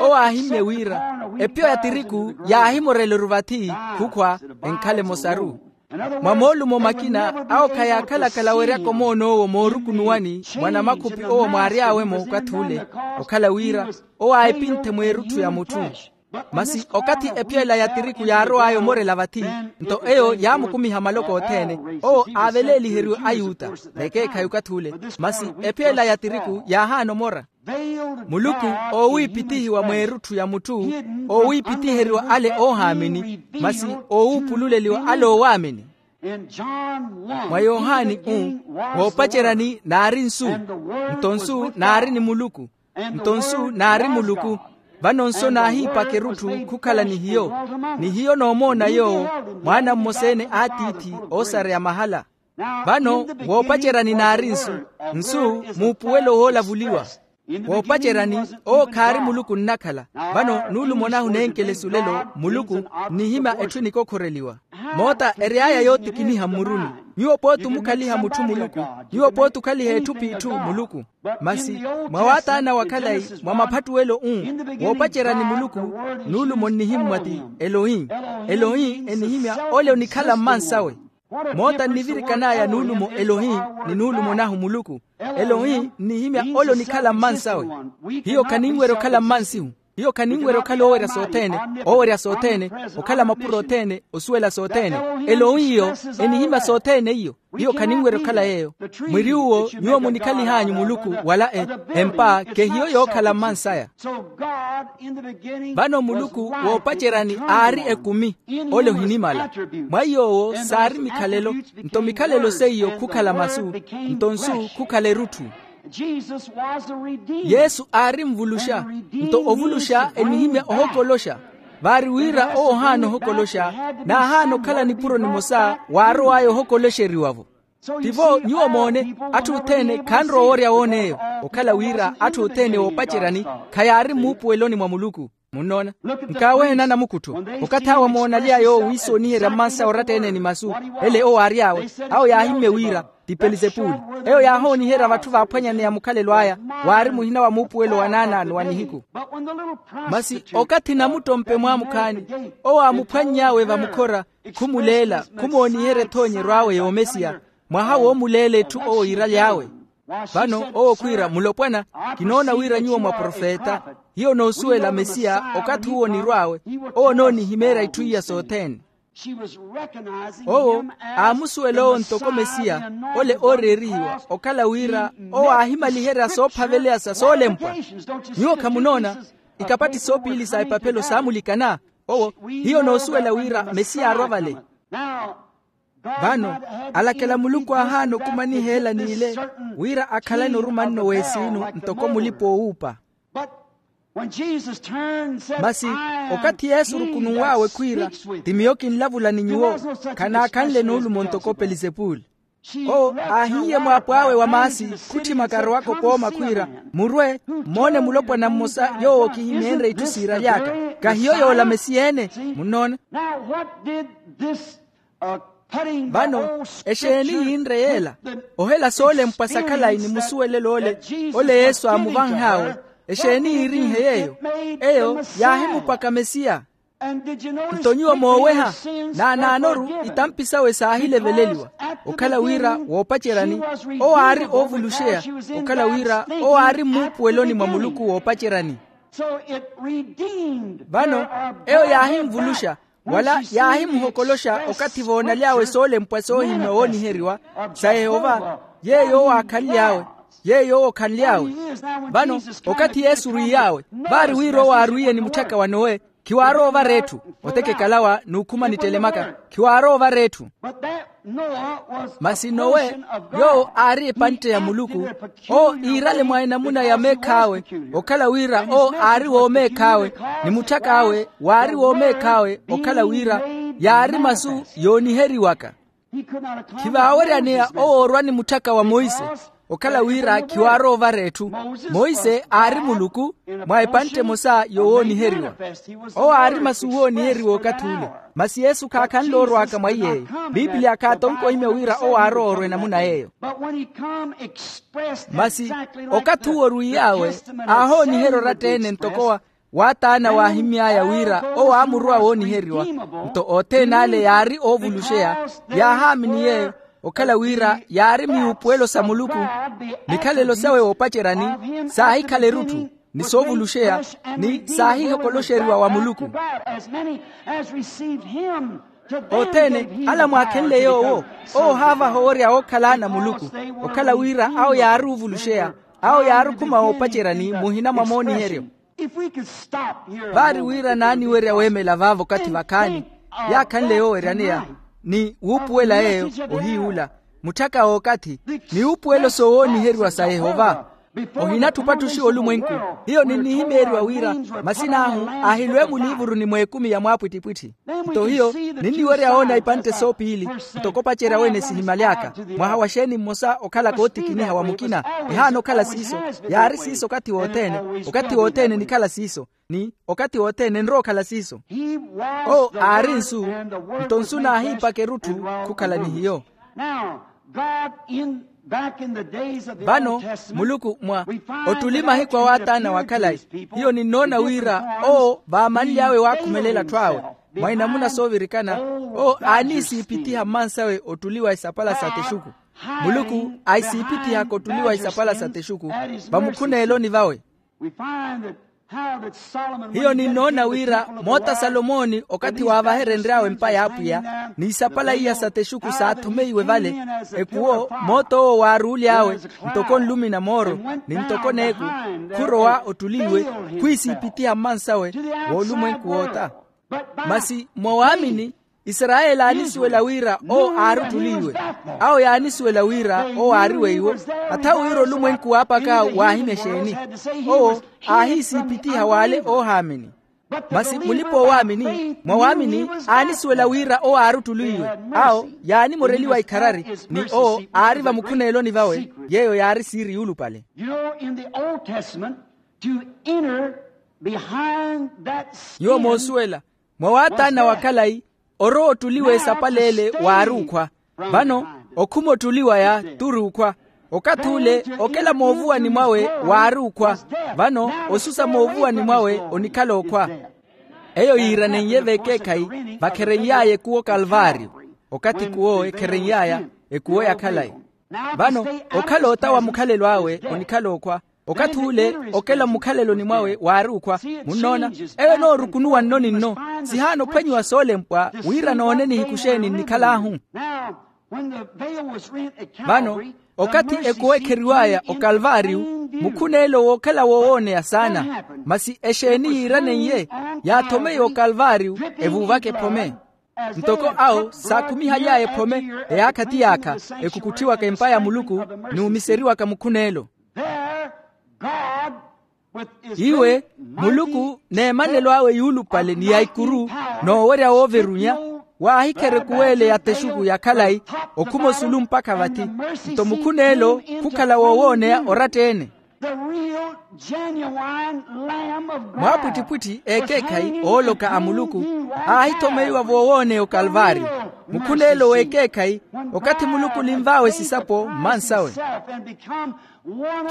Owo aahimmye wira epyo ya tiriku yaahimoreleru vathi, khukhwa enkhale emosaru. Mwa moolumo makina awo khayaakhalakhala weryaka omoon'owo moorukunuwani mwa namakhupi owo mwaary'awe-mo okathi ule, okhala wira owo aahipinthe mweerutthu ya mutthu. Masi okathi epyo ela ya tiriku yaarow'aya omorela vathi, nto eyo yaamukumiha maloko othene. Owo aaveleeliheriwe ayuta, n'ekeekhayi okathi ule. Masi epyo ela ya tiriku yaahaana omora. Muluku oowiipitihiwa mweerutthu ya mutthu, oowiipitiheriwa ale oohaamini, masi oowuupululeliwa ale oowaamini. Mwa yohani u, woopaceryani naari nsu, nto nsu naari ni muluku, nto nsu naari muluku. Vano nsu naahiipaka erutthu khukhala ni hiyo, ni hiyo noomoona yoowo, mwaana mmosa-ene a tiithi oosareya mahala. Vano woopaceryani naari nsu, nsu muupuwelo woolavuliwa. Woopaceryani owo khaari muluku nnakhala. Vano nuulumo nahu nenkelesu lelo muluku nnihimya etthu enikokhoreliwa. Moota ery'aya yootikiniha mmuruni. Nyuwo pooti omukhaliha mutthu muluku, nyuwo pooti okhaliha etthu p'itthu muluku. Masi mwa waataana wa khalayi mwa maphattuwelo u, woopaceryani muluku, nuulumo nnihimmwa ti elohi. Elohi enihimya ole onikhala mmansawe. Moota nnivirikan'aya nuulumo elohi, ni nuulumo nahu muluku. Elohi nnihimya ole onikhala mmansawe. Hiyo khaninwerya okhala mmansihu. Hiyo khaninwerya okhala oowerya sothene, oowerya sothene, okhala mapuro othene, osuwela sothene. Elohi iyo enihimya sothene iyo. Hiyo khaninwerya okhala yeeyo. Mwiri uwo nyuwo munikhalihanyu muluku wala e, empa kehiyo yookhala mmansaya. Vano muluku woopaceryani aari ekumi, ole ohinimala. Mwa iy'owo saari mikhalelo, nto mikhalelo seiyo khukhala masu, nto nsu khukhala erutthu. Yesu aari nvuluxa, nto ovuluxa enihimya ohokoloxa. Vaari wira owo ohaana ohokoloxa, naahaana okhala nipuro nimosa waarow'aya ohokoloxeriwa-vo. Tivo nyuwo moone, atthu othene khanrowa oworya woon'eyo, okhala wira atthu othene woopaceryani khayaari mmuupuweloni mwa muluku. Munnoona? Nkaawehe nanamukuttho. Okathi awo amoonalya yoowo wiisooniherya mmansa oratta-ene ni masu, ele owo aary'awe, awo yaahimmye wira ti pelizepuli. Eyo yaahooniherya vatthu vaaphwanyaneya mukhalelo aya, waari muhina wa muupuwelo wa naanaano wa nihiku. Masi okathi namuttompe mwaamukhaani, owo aamuphwanny'awe vamukhora, khumuleela, khumooniherya ethoonyeryo awe yoomesiya, mwaha woomuleela etthu owo yiiraly'awe. Vano owo khwiira mulopwana, kinoona wira nyuwo mwaprofeta. Hiyo noosuwela mesiya okathi uwo onirw'awe, owo onoonihimeerya itthu iya sothene. Owo aamusuwela owo ntoko mesiya, ole ooreerihiwa okhala wira owo aahimaliherya soophaveleya sa soolempwa. Nyuwo khamunoona ikapatti soopiili sa epaphelo saamulikana. Owo hiyo noosuwela wira mesiya aarwa vale. Vano alakela muluku aahaana okumaniha ela n'ile, wira akhalane orumanno w'esiinu ntoko mulipa-oowuupa. Masi okathi yesu orukununw'awe khwiira, ti miyo kinlavula ni nyuwo, khanaakhanle nuulumo ntoko pelizepuli. Owo aahiye mwaapo awe wa maasi, khutthimaka arowaka opooma khwiira, murwe mmoone mulopwana mmosa yoowo kihimeenre itthu siiraly'aka. Kahiyo yoola mesiya-ene? Munnoona? Vano exeeni yiinre yeela? Ohela soolempwa sa khalayi ni musuwelelo ole, ole yesu aamuvanh'awe. Exeeni yiirinhe yeeyo? Eyo yaahimupaka mesiya. Nto nyuwo mooweha, naanaanoru itampi sawe saahileveleliwa, okhala wira woopaceryani owo aari oovuluxeya, okhala wira owo aari mmuupuweloni mwa muluku woopaceryani. Vano eyo yaahinvuluxa, wala yaahimuhokoloxa okathi voonaly'awe soolempwa soohimmya wooniheriwa sa yehova, yeeyo owo aakhanly'awe, yeeyo owo okhanly'awe. Vano okathi yesu orwiy'awe, vaari wira owo aarwiye ni mutthaka wa nowe, Khiwaarowa ovara etthu. Otekekalawa n'ukhuma nittelemaka. Khiwaarowa ovara etthu. Masi nowe, yoowo aari epantte ya muluku. Owo iirale mwa enamuna ya meekh'awe, okhala wira owo aari woomeekh'awe, ni mutthak'awe waari woomeekh'awe okhala wira yaari masu yooniheriwaka. Khivaaweryaneya owo orwa ni mutthaka wa monse, okhala wira khiwaarowa ovara etthu. Monse aari muluku mwa epantte emosa yowooniheriwa. Owo aari masu wooniheriwa okathi ule. Masi yesu khaakhanle orwaka mwa iy'eyo. Piipiliya khaatonke ohimya wira owo aarowa orwa enamuna y'eyo. Masi okathi uwo orwiy'awe, aahooniherya oratta-ene ntoko wa waataana waahimy'aya wira owo aamurowa wooniheriwa. Nto othene ale yaari oovuluxeya, yaahaamini yeeyo, okhala wira yaari miwuupuwelo sa muluku. Mikhalelo sawe woopaceryani saahikhala erutthu, ni soovuluxeya, ni saahihokoloxeriwa wa muluku. Othene ala mwaakhenle yoowo, owo ohaavaha owerya ookhala ana a muluku, okhala wira awo yaari ovuluxeya, awo yaari okhuma woopaceryani muhina mwa mooniheryo. Vaari wira naaniwerya weemela vaavo okathi vakhaani, yaakhanle yooweryaneya ni wuupuwela yeeyo, ohiyu ula, mutthaka w'okathi, ni wuupuwelo soowooniheriwa sa yehova. Ohinatthi opattuxiwa olumwenku. Hiyo ninnihimeeriwa wira masin'ahu ahilwe muliivuruni mw'ekumi ya mwaapwittipwitthi. Nto hiyo ninniwerya woona ipantte soopiili, ntoko opacerya wene sihimaly'aka, mwaha wa xeeni mmosa okhalaka ootikiniha wa mukina. Ehaana okhala siiso. Yaari siiso okathi wothene. Okathi wothene enikhala siiso, ni okathi wothene enrowa okhala siiso. Owo aari nsu, nto nsu naahiipaka erutthu khukhala ni hiyo. Vano muluku mwa ottuli mahiku a waataana wa khalayi, hiyo ninnoona wira owo vaamanly'awe waakhumelela atthu awe mwa inamuna soovirikana. Owo aaniisiipithiha mmansawe ottuli wa isapala sa texuku. Muluku aisiipittihaka ottuli wa isapala sa texuku vamukhuneeloni vawe. Hiyo ninnoona wira moota salomooni okathi waavaherenry'awe empa y'apwiya, ni isapala iya sa texuku saathomeiwe vale. Ekuwo moot'owo waaruuly'awe ntoko nlumi na mooro, ni ntoko n'eku, khurowa ottuli iwe, khwiisiipithiha mmansawe w'olumwenku woota. Masi mwa waamini, isarayeli aanisuwela wira owo aari ottuli iwe. Awo yaanisuwela wira owo aari weiwo. Athawe wira olumwenku waapaka waahimya exeeni? Owo aahiisiipithiha w'ale oohaamini. Masi mulipa-oowaamini mwa waamini aanisuwela wira owo aari ottuli iwe. Awo yaanimoreliwa ikharari, ni owo aari vamukhuneeloni vawe. Yeeyo yaari siiri yuulupale. Nyuwo moosuwela, mwa waataana wa khalayi, orowa ottuli w'esapala ele waari okhwa. Vano okhuma ottuli waya t'uri okhwa. Okathi ule okela moovuwani mwawe waari okhwa. Vano osusa moovuwani mwawe onikhala okhwa. Eyo yiiraneiye v'ekeekhayi vakhereny'aya ekuwo kalvaariyo. Okathi ekuwo ekhereny'aya ekuwo ya khalayi. Vano okhala ota wa mukhalelo awe onikhala okhwa. Okathi ule okela mmukhaleloni mwawe waari okhwa. Munnoona, eyo enoorukunuwa nno ni nno. Sihaana ophwanyiwa soolempwa wira noone nihiku xeeni nnikhal'ahu. Vano okathi ekuwo ekheriw'aya okalvaariyu, mukhuneelo wookhala woowooneya saana. Masi exeeni yiiraneiye? Yaathomeiwa okalvaariyu, evuuvaka ephome. Ntoko awo saakhumihaly'aya ephome, eyaakha ti yaakha, ekukutthiwaka empa ya muluku, n'umiseriwaka mukhuneelo. Iwe, muluku n'emanelo awe yuulupale ni ya ikuru, n'owerya wooverunya, waahikherya ekuweele ya texuku ya khalayi, okhuma osulu mpakha vathi. Nto mukhuneelo khukhala woowooneya oratta-ene. Mwaapwittipwitthi ekeekhayi ooloka a muluku aahithomeiwa voowooneya okalvaariyo. Mukhuneelo w'ekeekhayi, okathi muluku olinv'awe sisapo mmansawe,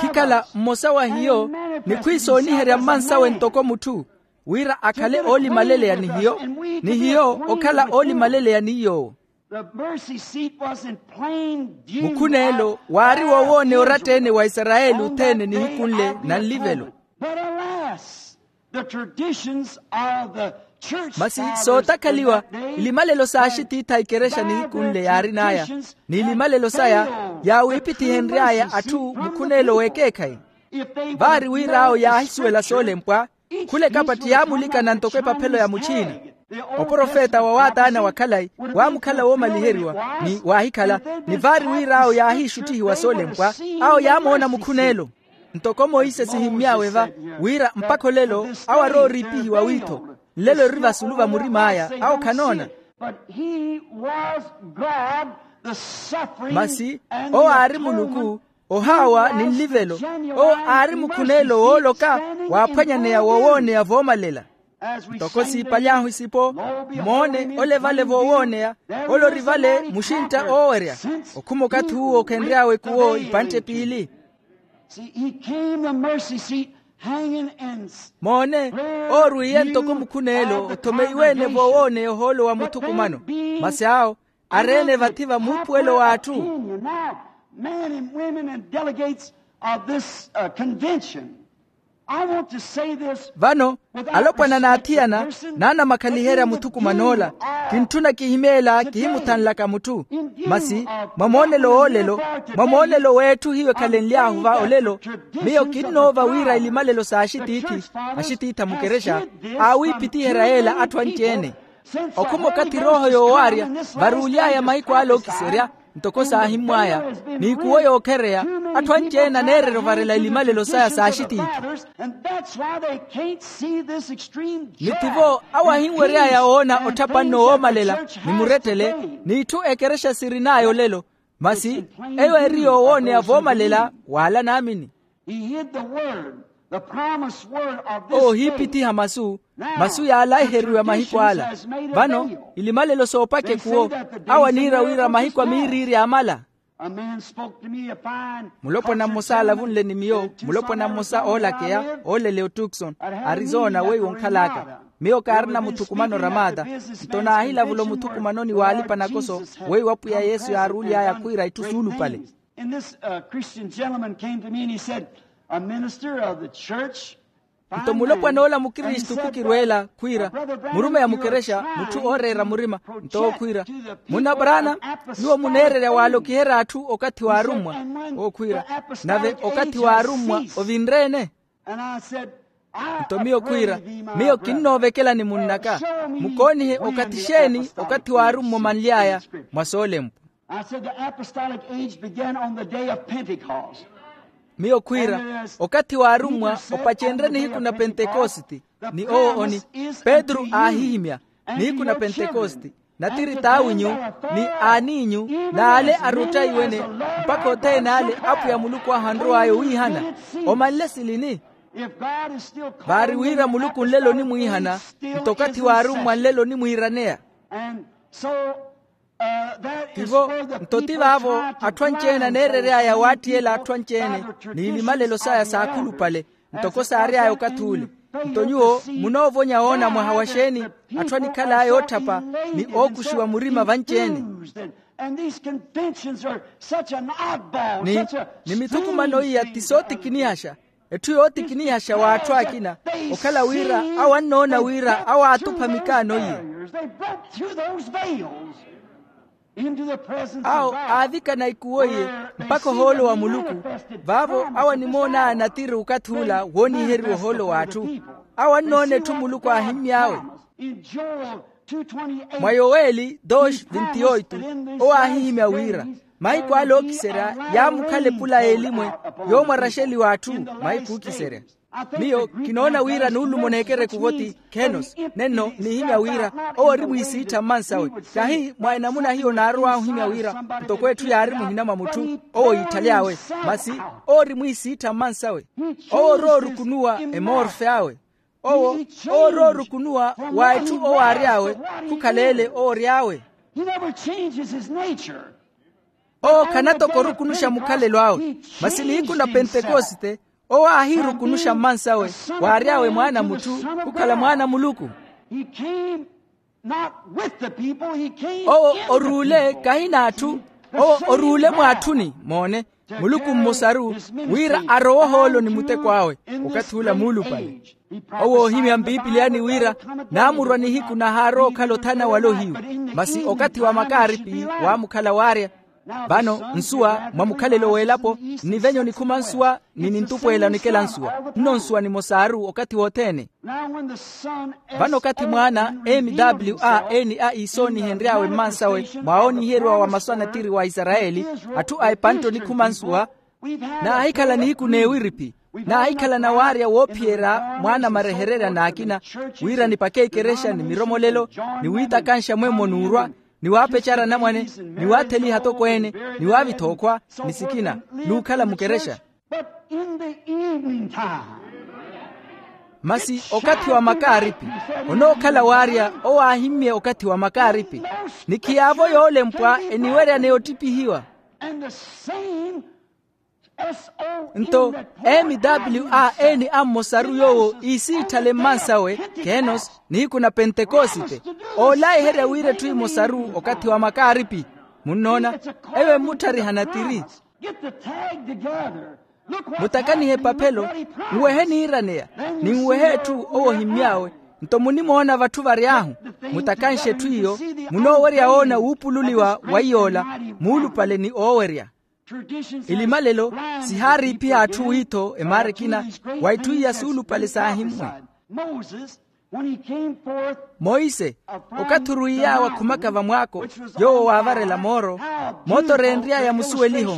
khikhala mmosa wa hiyo, ni khwiisooniherya mmansawe ntoko mutthu, wira akhale oolimaleleya ni hiyo, ni hiyo okhala oolimaleleya ni yoowo. Mukhuneelo waari woowooneya oratta-ene wa isarayeli othene nihiku nle na nlivelo. Masi sootakhaliwa, ilimalelo s'axitiitha a ikerexa nihiku nle yaarin'aya, n'ilimalelo saya yaawiipithihenry'aya atthu mukhuneelo w'ekeekhayi. Vaari wir'awo yaahisuwela soolempwa, Khula ekapatti yaamulikana ntoko epaphelo ya muchiina. Oprofeta wa waataana wa khalayi waamukhala woomaliheriwa, ni waahikhala, ni vaari wira awo yaahiixuttihiwa soolempwa. Awo yaamoona mukhuneelo. Ntoko moisesi ohimmy'awe va, wira mpakha olelo awo arooriipihiwa wiitho, nlelo eri vasulu va murim'aya, awo khanoona. Masi owo aari muluku, ohaawa ni nlivelo. Owo aari mukhuneelo wooloka, waaphwanyaneya woowooneya voomalela. Ntoko siipaly'ahu isipo, moone ole vale voowooneya, ole ori vale muxintta oowerya. Okhuma okathi uwo khenry'awe kuwo ipantte piili. Moone, oorwiiye ntoko mukhuneelo othomeiwe-ene voowooneya ohoolo wa muthukumano. Masi awo areene vathi va muupuwelo w'atthu. Vano alopwana n'athiyana naanamakhaliherya muthukuman'ola. Kintthuna kihimeela kihimuthanlaka mutthu. Masi mwa moonelo w'olelo, mwa moonelo w'etthu hiyo ekhalenly'ahu va olelo, miyo kinnoova wira ilimalelo s'axitiithi, axitiithi a mukerexa, aawiipitiherya yeela atthu anci-ene. Okhuma okathi erooho yoowaarya varuuly'aya mahiku ale ookiserya, ntoko saahimmw'aya, n'ikuwo yookhereya, atthu anci-ene aneererya ovarela ilimalelo saya s'axitiithi. Ni ttivo awo ahinwery'aya woona otthapa nno woomalela ni murettele, n'itthu ekerexa sirin'aya olelo. Masi eyo eri yoowooneya voomalela w'ala naamini. Owo ohiipithiha masu, masu yaalaiheriwa mahiku ala. Vano ilimalelo soopaka ekuwo, awo aniira wira mahiku a miiriiri aamala. Mulopwana mmosa aalavunle ni miyo, mulopwana mmosa oolakeya ooleleya otukson, arizona weiwo onkhal'aka. Miyo kaarina muthukumano ramata, nto naahilavula omuthukumanoni w'alipa-nakoso, weiwo apwiya yesu yaaruuly'aya khwiira itthu suulupale. Nto mulopwana ola mukristu khukirweela khwiira, murumeya mukerexa mutthu ooreera murima. Nto owo khwiira, munna brana, nyuwo muneererya waalokiherya atthu okathi w'arummwa. Owo khwiira, nave okathi w'arummwa ovinre-ene? Nto miyo khwiira, miyo kinnoovekela ni munn'aka, mukoonihe okathi xeeni okathi w'arummwa omanly'aya mwa soolempwa. Miyo khwiira, okathi w'arummwa opacenrye nihiku na pentekositi. Ni owo oni, petru aahihimya, nihiku na pentekositi, natiri t'awinyu, ni aaniinyu, n'ale aruttaiwe-ene, mpakha othene ale apwiya muluku ahu anrow'aya owiihana. Omanle silini? Vaari wira muluku nlelo onimwiihana, nto okathi w'arummwa nlelo onimwiiraneya. Tivo, nto ti vaavo atthu anci-ene aneerery'aya waattiyela atthu anci-ene, n'ilimalelo saya saakhulupale, ntoko saary'aya okathi ule. Nto nyuwo munoovonya woona mwaha wa xeeni atthu anikhal'aya ootthapa ni ookuxiwa murima vanci-ene. Ni, ni mithukumano iya ti sootikinihaxa. Etthu yootikinihaxa w'atthu akina, okhala wira awo annoona wira awo aatupha mikaano iye. Awo aavikana ikuwo iye mpakha ohoolo wa muluku. Vaavo awo animoon'aya natiri okathi ula wooniiheriwa ohoolo w'atthu. Awo annoona etthu muluku aahimmy'awe. Mwa yoweli dois vintioito, owo aahihimya wira, mahiku ale ookiserya yaamukhala epula y'elimwe yoomwaraxeliwa atthu. Mahiku ookiserya, miyo kinoona wira nuulumo neekereku voti khenos nenno nihimya wira owo ori mwiisiittha mmansawe. Kahi mwa enamuna hiyo naarow'ahu ohimya wira ntoko etthu yaari muhina mwa mutthu, owo yiithaly'awe. Masi owo ori mwiisiittha mmansawe. Owo oroorukunuwa emorfe awe. Owo, owo oroorukunuwa wa etthu owo aary'awe, khukhala ele owo ory'awe. Owo khanatoka orukunuxa mukhalelo awe. Masi nihiku na pentekoste owo aahiirukunuxa mmansawe, waary'awe mwaana a mutthu, khukhala mwaana a muluku. Owo oruule kahi n'atthu. Owo oruule mw'atthuni moone, muluku mmosaru, wira arowe ohoolo ni muteko awe. Okathi ula muulupale, owo oohimya mpipiliyani wira naamurwa nihiku nahaarwa okhala othana wala ohiyu. Masi okathi wa makaaripi waamukhala waarya. Vano nsuwa mwa mukhalelo w'elapo, nnivenye onikhuma nsuwa ni nintupweela onikela nsuwa. Nno nsuwa nimosaru okathi wothene. Vano okathi mwaana, mwa eni a iisoonihenry'awe mmansawe, mwawooniheriwa wa masu a natiri wa isarayeli, atthu a epantte onikhuma nsuwa, naahikhala nihiku n'ewiriphi. Naahikhala nawaarya woophiyerya mwaana marehererya n'akina, wira nipake ikerexa ni miromolelo, ni wiitakanxa mwemmo n'urwa, ni waapecara anamwane, ni waatheliha atokweene, ni waavitha okhwa, ni sikina, n'ukhala mukerexa. But in the evening time, masi okathi wa makaaripi, onookhala waarya owo aahimmye okathi wa makaaripi, ni khiyaavo yoolempwa eniweryaneya ottipihiwa. And the same nto mwa eni a mmosaru yoowo iisiitthale mmansawe, kenos, nihiku na pentekosite, oolaiherya wira etthu emosaru okathi wa makaaripi. Munnoona, eyo emmutthariha natiri. Get the tag together. Mutakanihe epaphelo, nwehe niiraneya, ni nwehe etthu owo ohimmy'awe. Nto munimoona vatthu vary'ahu, mutakanxe etthu iyo, munoowerya woona wuupululiwa wa iy'ola, muulupale ni oowerya. Ilimalelo sihaariipiha atthu wiitho emaara ekina, wa itthu iya suulupale saahimmwe. Monse, okathi orwiiy'awe akhumaka vamwaako, yoowo waavarela mooro, mooto oreenry'aya musuweliho.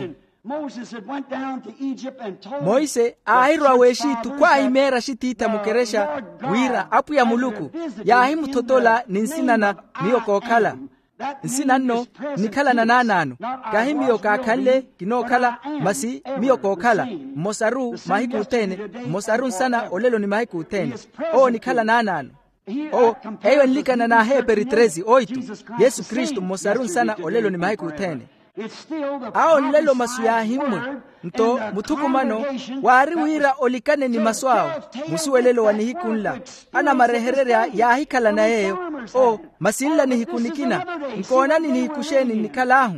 Monse aahirwa w'exitu khwaahimeerya axitiitha mukerexa, wira apwiya muluku yaahimuthotola ni nsina na miyo kookhala. Nsina nno nnikhalana naanaano, kahi miyo kaakhanle kinookhala, masi miyo kookhala, mmosaru mahiku othene, mmosaru nsana olelo ni mahiku othene. Owo onikhala naanaano. Owo, eyo enlikana n'aheeperi tresi oitu, yesu kristu mmosaru nsana olelo ni mahiku othene. Awo nlelo masu yaahimmwe. Nto muthukumano waari wira olikane ni masu awo. Musuwelelo wa nihiku nla, anamarehererya yaahikhalana yeeyo. O, masi nla nihiku nikina, nkoonani nihiku xeeni nnikhal'ahu?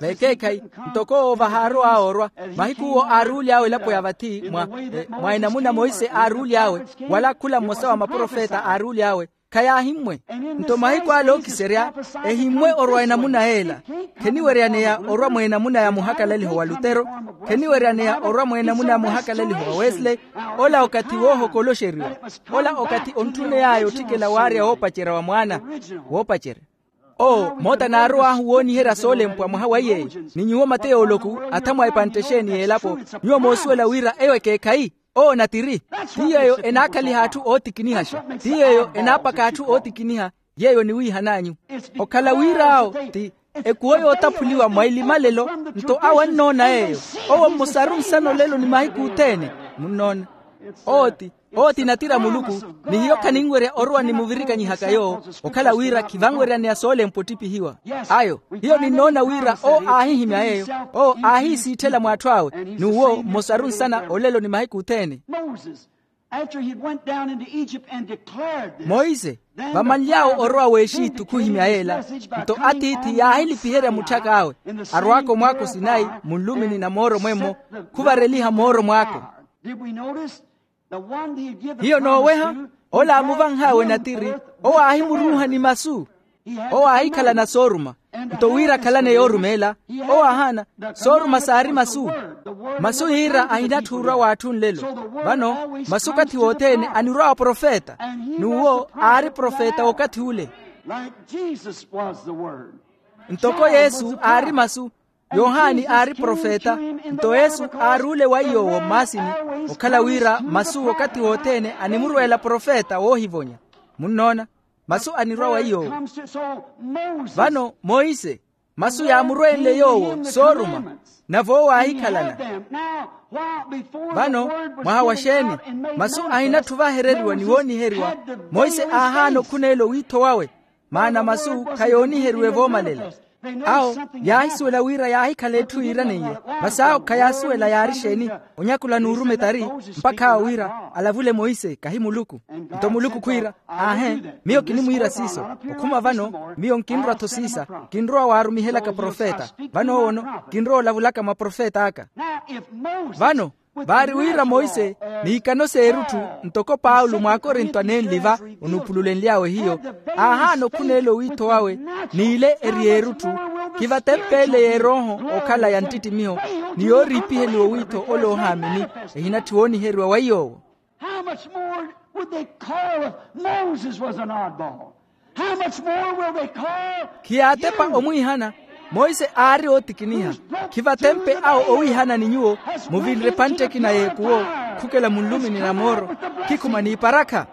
Vekeekhayi, ntoko owo vahaarow'awe orwa, mahiku owo aaruwuly'awe elapo ya vathi mwa mwa enamuna monse aaruwuly'awe, wala khula mmosa wa maprofeta aaruwuly'awe, khayaahimmwe. Nto mahiku ale ookiserya ehimmwe orwa enamuna yeela. Kheniweryaneya orwa mw'enamuna ya muhakalaliho wa lutero, kheniweryaneya orwa mw'enamuna ya muhakalaliho wa wesley. Ola okathi woohokoloxeriwa. Ola okathi ontthuney'aya otthikela waarya woopacerya wa mwaana. Woopacerya. Oo moota naarow'ahu wooniherya soolempwa mwaha wa iyeeyo. Ni nyuwo mateyo oloku, atha mwa epantte exeeni y'elapo, nyuwo moosuwela wira eyo ekeekhayi. Oo natiri. Ti yeeyo enaakhaliha atthu ootikinihaxa, ti yeeyo enaapaka atthu ootikiniha. Yeeyo oniwiihan'anyu. Okhala wir'awo ti ekuwo yootaphuliwa mwa ilimalelo. Nto awo annoona yeeyo, owo mmosaru nsana olelo ni mahiku othene. Munnoona, owo ti owo ti natira muluku. Ni hiyo khaninwerya orowa nimuvirikanyihaka yoowo, okhala wira khivanweryaneya soolempwa ottipihiwa. Ayo, hiyo ninnoona wira owo aahihimya yeeyo. Owo aahiisiitthela mw'atthu awe, n'uwo mmosaru nsana olelo ni mahiku othene. Monse, vamanly'awe orowa w'exitu khuhimya yeela, nto atiithi yaahilipiherya mutthak'awe, arwaaka omwaako sinayi, munlumini na mooro mwemmo, khuvareliha mooro mwaako. Hiyo nooweha, ola aamuvanh'awe natiri, owo aahimuruuha ni masu. Owo aahikhalana sooruma, nto wira akhalane yoorumeela. Owo aahaana, sooruma saari masu. Masu yiira ahinatthi orwa w'atthu nlelo. Vano, masu okathi wothene anirwa wa profeta, n'uwo aari profeta w'okathi ule. Ntoko yesu aari masu. Yohani aari profeta. Nto yesu aaruule wa iy'owo mmaasini, okhala wira masu okathi wothene animurweela profeta woohivonya. Munnoona, masu anirwa wa iy'owo. Vano monse, masu yaamurweenle yoowo sooruma, nave owo aahikhalana. Vano, mwaha wa xeeni? Masu ahinatthu vahereriwa ni wooniheriwa. Monse aahaana okhuneela owiitho wawe, maana masu khayooniheriwe voomalela. Awo yaahisuwela wira yaahikhala etthu yiiraneiye. Masi awo khayaasuwela yaari exeeni, onyakula n'urumetari, mpakha awo wira alavule monse kahi muluku. Nto muluku khwiira, aahe, miyo kinimwiira siiso. Okhuma vano miyo nkinrwa-tho siisa. Kinrowa waarumihelaka profeta. Vano owono, kinrowa olavulaka mwa profeta aka. Vano, vaari wira monse, n'ikano s'erutthu, ntoko paulo mw'akorinto anenli va, onuupululenly'awe hiyo, aahaana okhuneela owiitho wawe, n'ile eri erutthu. Khivatempeele y'erooho okhala ya nttittimiho, ni yooriipiheliwa owiitho ole oohaamini, ehinatthi wooniheriwa wa iy'owo. How much more would they call if Moses was an oddball? How much more will they call? Khiyaatepa omwiihana. Monse aari ootikiniha. Khivatempe awo owiihana ni nyuwo muvinre epantte ekina y'ekuwo, khukela munlumini na mooro, khikhuma n'iparakha.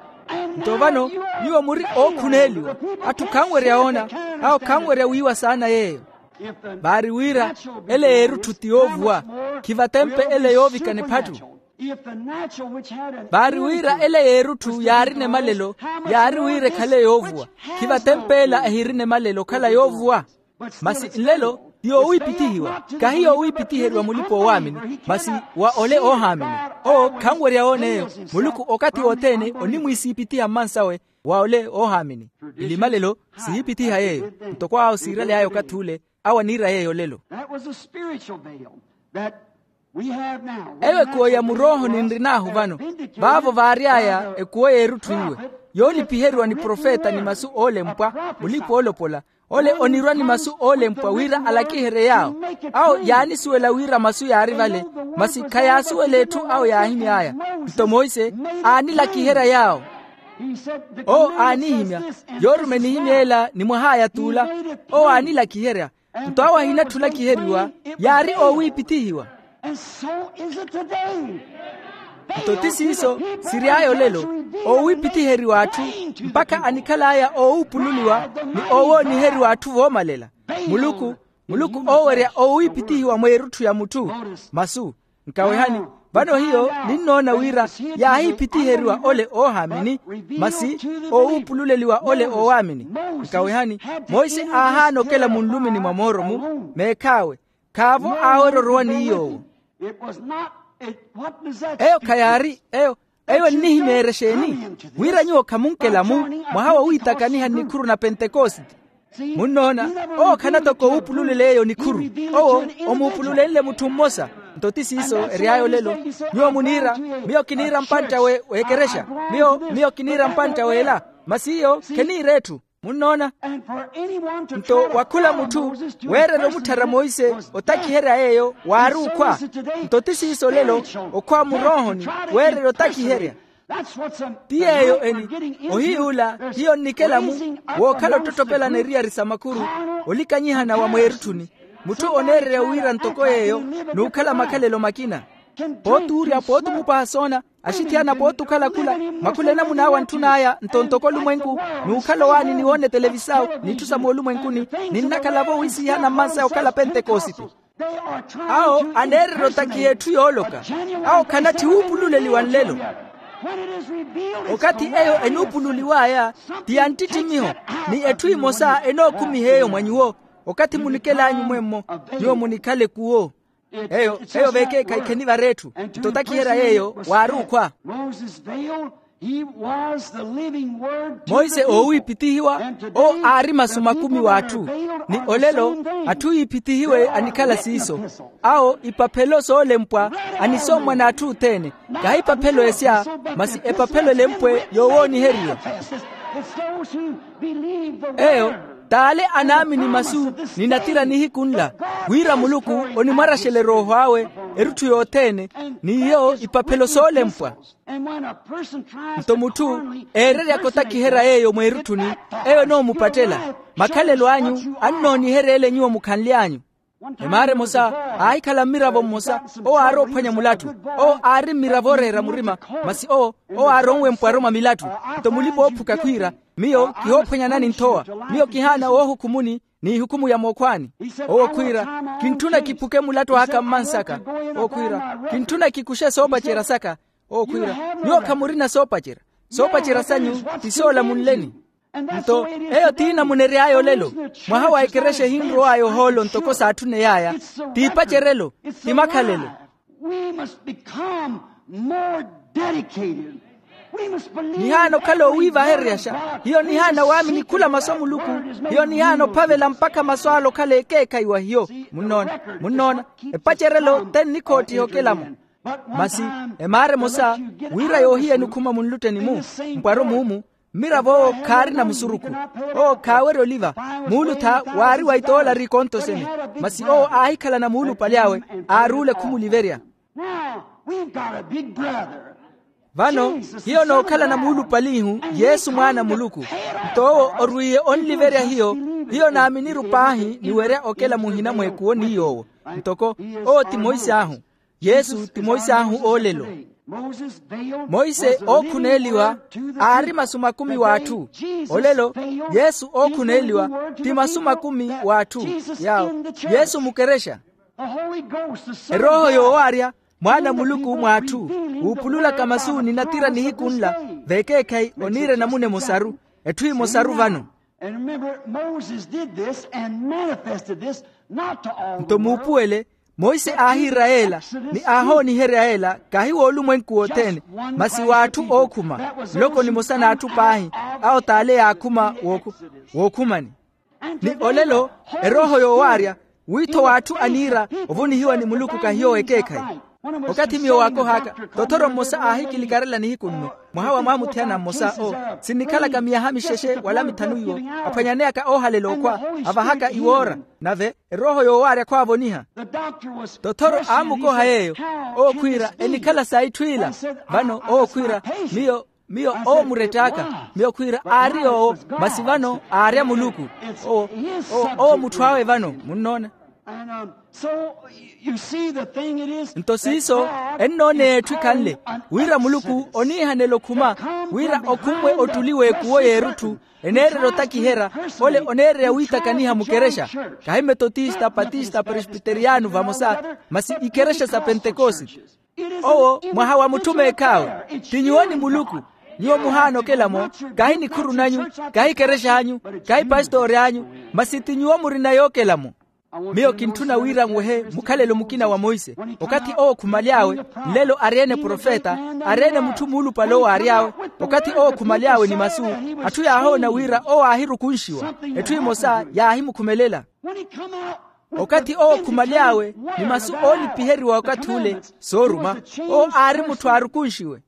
Nto vano nyuwo muri ookhuneeliwa. Atthu khanwerya woona, awo khanwerya wiiwa saana yeeyo. Vaari wira ele y'erutthu ti yoovuwa, khivatempe ele yoovikana ephattu. Vaari wira ele y'erutthu yaarina emalelo, yaari wira ekhale yoovuwa. Khivatempeela ehirina emalelo okhala yoovuwa. Masi nlelo ti yoowiipithihiwa, kahi yoowiipithiheriwa mulipa-oowaamini, masi wa ole oohaamini. Owo khanwerya woona eyo. Muluku okathi wothene onimwiisiipithiha mmansawe wa ole oohaamini. Ilimalelo sihiipithiha yeeyo, ntoko awo siiraly'aya okathi ule, awo aniira yeeyo lelo. That was a spiritual veil that we have now. Eyo ekuwo ya murooho ninrin'ahu vano. Vaavo vaary'aya ekuwo y'erutthu iwe yoolipiheriwa ni profeta ni masu oolempwa, mulipa oolopola, ole onirwa ni masu oolempwa wira alakiherye yaawo. Awo yaanisuwela wira masu yaari vale, masi khayaasuwela etthu awo yaahimy'aya. Nto monse aanilakiherya yaawo. Owo aanihimya, yoorume enihimya ela ni mwah'aya t'ula. Owo aanilakiherya. Nto awo ahinatthi olakiheriwa, yaari oowiipithihiwa. Nto ti siiso siry'aya olelo, oowiipithiheriwa atthu, mpakha anikhal'aya oowuupululiwa ni oowooniheriwa atthu voomalela. Muluku, muluku oowerya oowiipithihiwa mweerutthu ya mutthu. Masu, nkawehani, vano hiyo ninnoona wira yaahiipithiheriwa ole oohaamini, masi oowuupululeliwa ole oowaamini. Nkawehani, monse aahaana okela munlumini mwa mooro-mu, meekh'awe khaavo aawerya orowa ni iy'owo. Eyo khayaari eyo. Eyo ennihimyeerya exeeni? Wira nyuwo khamunkela-mu mwaha wa wiitakaniha nnikhuru na pentekosite. Munnoona, owo khana toko oopululela eyo nikhuru. Owo omuupululenle mutthu mmosa. Nto ti siiso ery'aya olelo. Nyuwo muniira, miyo kiniira mpantta w'ekerexa. Miyo miyo kiniira mpantta w'ela. Masi iyo kheniira etthu. Munnoona. Nto wa khula mutthu weererya omutthara monse otakiherya yeeyo waari okhwa. Nto ti siiso olelo, okhwa muroohoni weererya otakiherya. Ti yeeyo eni. Ohiy'ula hiyo nnikela-mu wookhala ottottopelana eriyari sa makhuru, olikanyihana wa mweerutthuni. Mutthu oneererya wira ntoko yeeyo n'ukhala makhalelo makina. Pooti uurya pooti omupaha soona, axithiyana pooti okhala khula. Makhula enamuna awo antthun'aya nto ntoko olumwenku, n'ukhala owaani ni woona etelevisao n'itthu sa moolumwenkuni. Ninnakhala-vo wiisihana mmansaya okhala pentekosite. Awo aneererya otakiha etthu yooloka. Awo khanatthi wuupululeliwa nlelo. Okathi eyo enuupululiw'aya ti ya nttittimiho, ni etthu emosa enookhumiha eyo mwa nyuwo. Okathi munikel'anyu mwemmo, nyuwo munikhale kuwo. Eyo eyo veekeekhayi khenivara etthu. Nto otakiherya yeeyo waari okhwa. Monse oowiipithihiwa, owo aari masu makumi w'atthu. Ni olelo atthu yiipithihiwe anikhala siiso. Awo ipaphelo soolempwa anisommwa n'atthu othene. Kahi ipaphelo esya, masi epaphelo elempwe yoowooniheriwa. Eyo t'ale anaamini masu ni natira nihiku nla, wira muluku onimwaraxela erooho awe erutthu yothene, n'iyo ipaphelo soolempwa. Nto mutthu eereryaka otakiherya yeeyo mweerutthuni, eyo enoomupattela. Makhalelo anyu annooniherya ele nyuwo mukhanly'anyu. Emaara emosa aahikhala mmiravo mmosa, owo aari ophwanya mulattu. Owo aari mmiravo ooreera murima, masi owo owo aari onwempwaro mwa milattu. Nto mulipa-oophuka khwiira, miyo kihoophwanyanani nthowa. Miyo kihaana woohukhumuni n'ihukumu ya mookhwaani. Owo khwiira, kintthuna kiphuke mulattu aka mmansaka. Owo khwiira, kintthuna kikuxe soopacerya saka. Owo khwiira, nyuwo khamurina soopacerya. Soopacerya sanyu ti soola munleni. Nto eyo t'inamuna ery'aya olelo. Mwaha wa ekerexa ehinrow'aya ohoolo ntoko saatthuney'aya. T'ipacerelo, ti makhalelo. Nihaana okhala oowiivahereryaxa. Hiyo nihaana waamini khula masu a muluku. Hiyo nihaana ophavela mpakha masu ale okhala ekeekhayi wa hiyo. Munnoona, munnoona, epacerelo te nnikhoottiha okelamo. Masi emaara emosa, wira yoohiya enikhuma munlutteni-mu, mpwaro muumu. Mmiravo owo khaarina musurukhu. Owo khaawerya oliva. Muulutha waari wa itoolari ikonto sene. Masi owo aahikhalana muulupale awe, aaruule khumuliverya. Now, we've got a big brother. Vano hiyo nookhalana muulupalihu, yesu mwaana a muluku. Nto owo orwiiye onliverya hiyo. Hiyo naaminiru paahi ni werya okela muhina mweekuwo ni yoowo. Ntoko owo ti monse ahu. Yesu ti monse ahu oolelo. Monse ookhuneeliwa aari masu makumi w'atthu. Olelo yesu ookhuneeliwa ti masu makumi w'atthu. Yaawo yesu mukerexa. Erooho yoowaarya mwaana a muluku mw'atthu, wuupululaka masu ni natira nihiku nla. Veekeekhayi oniira enamuna emosaru. Etthu emosaru vano. Nto muupuwele, monse aahiira yeela ni aahooniherya yeela kahi woolumwenku wothene, masi w'atthu ookhuma. Nloko nimosa n'atthu paahi awo t'ale yaakhuma wookhumani. Ni olelo erooho yoowaarya witho w'atthu aniira ovunihiwa ni muluku kahiyo ekeekhayi. Okathi miyo waakohaka, tothoro mmosa aahikilikarela nihiku nno, mwaha wa mwamuthiyana mmosa owo, sinnikhalaka miyaha mixexe wala mithanu iwo, aphwanyaneyaka oohalela okhwa, avahaka iwoora. Nave erooho yoowaarya khwaavoniha. Tothoro aamukoha yeeyo, owo khwiira enikhala saitthu ila. Vano owo khwiira, miyo miyo owo muret'aka. Miyo khwiira aari yoowo, masi vano aarya muluku. Owo owo mutthu awe vano munnoona. Nto siiso ennooneya etthu ekhanle, wira muluku oniihanela okhuma wira okhummwe ottuli w'ekuwo y'erutthu, eneererya otakiherya ole oneererya wiitakaniha mukerexa. Kahi metotista patista presbiteriyano vamosa, masi ikerexa sa pentekosite. Owo mwaha wa mutthu meekhaawe. Ti nyuwo ni muluku. Nyuwo muhaana okela-mo, kahi nikhuru nanyu, kahi kerex'anyu, kahi pastori anyu, masi ti nyuwo murina yookela-mo. Miyo kintthuna wira nwehe mukhalelo mukina wa monse. Okathi owo okhumaly'awe, nlelo ari-ene profeta, ari-ene mutthu muulupale owo aary'awe. Okathi owo okhumaly'awe ni masu, atthu yaahoona wira owo aahirukunxiwa. Etthu emosa yaahimukhumelela. Okathi owo okhumaly'awe ni masu oonipiheriwa okathi ule, sooruma, owo aari mutthu aarukunxiwe.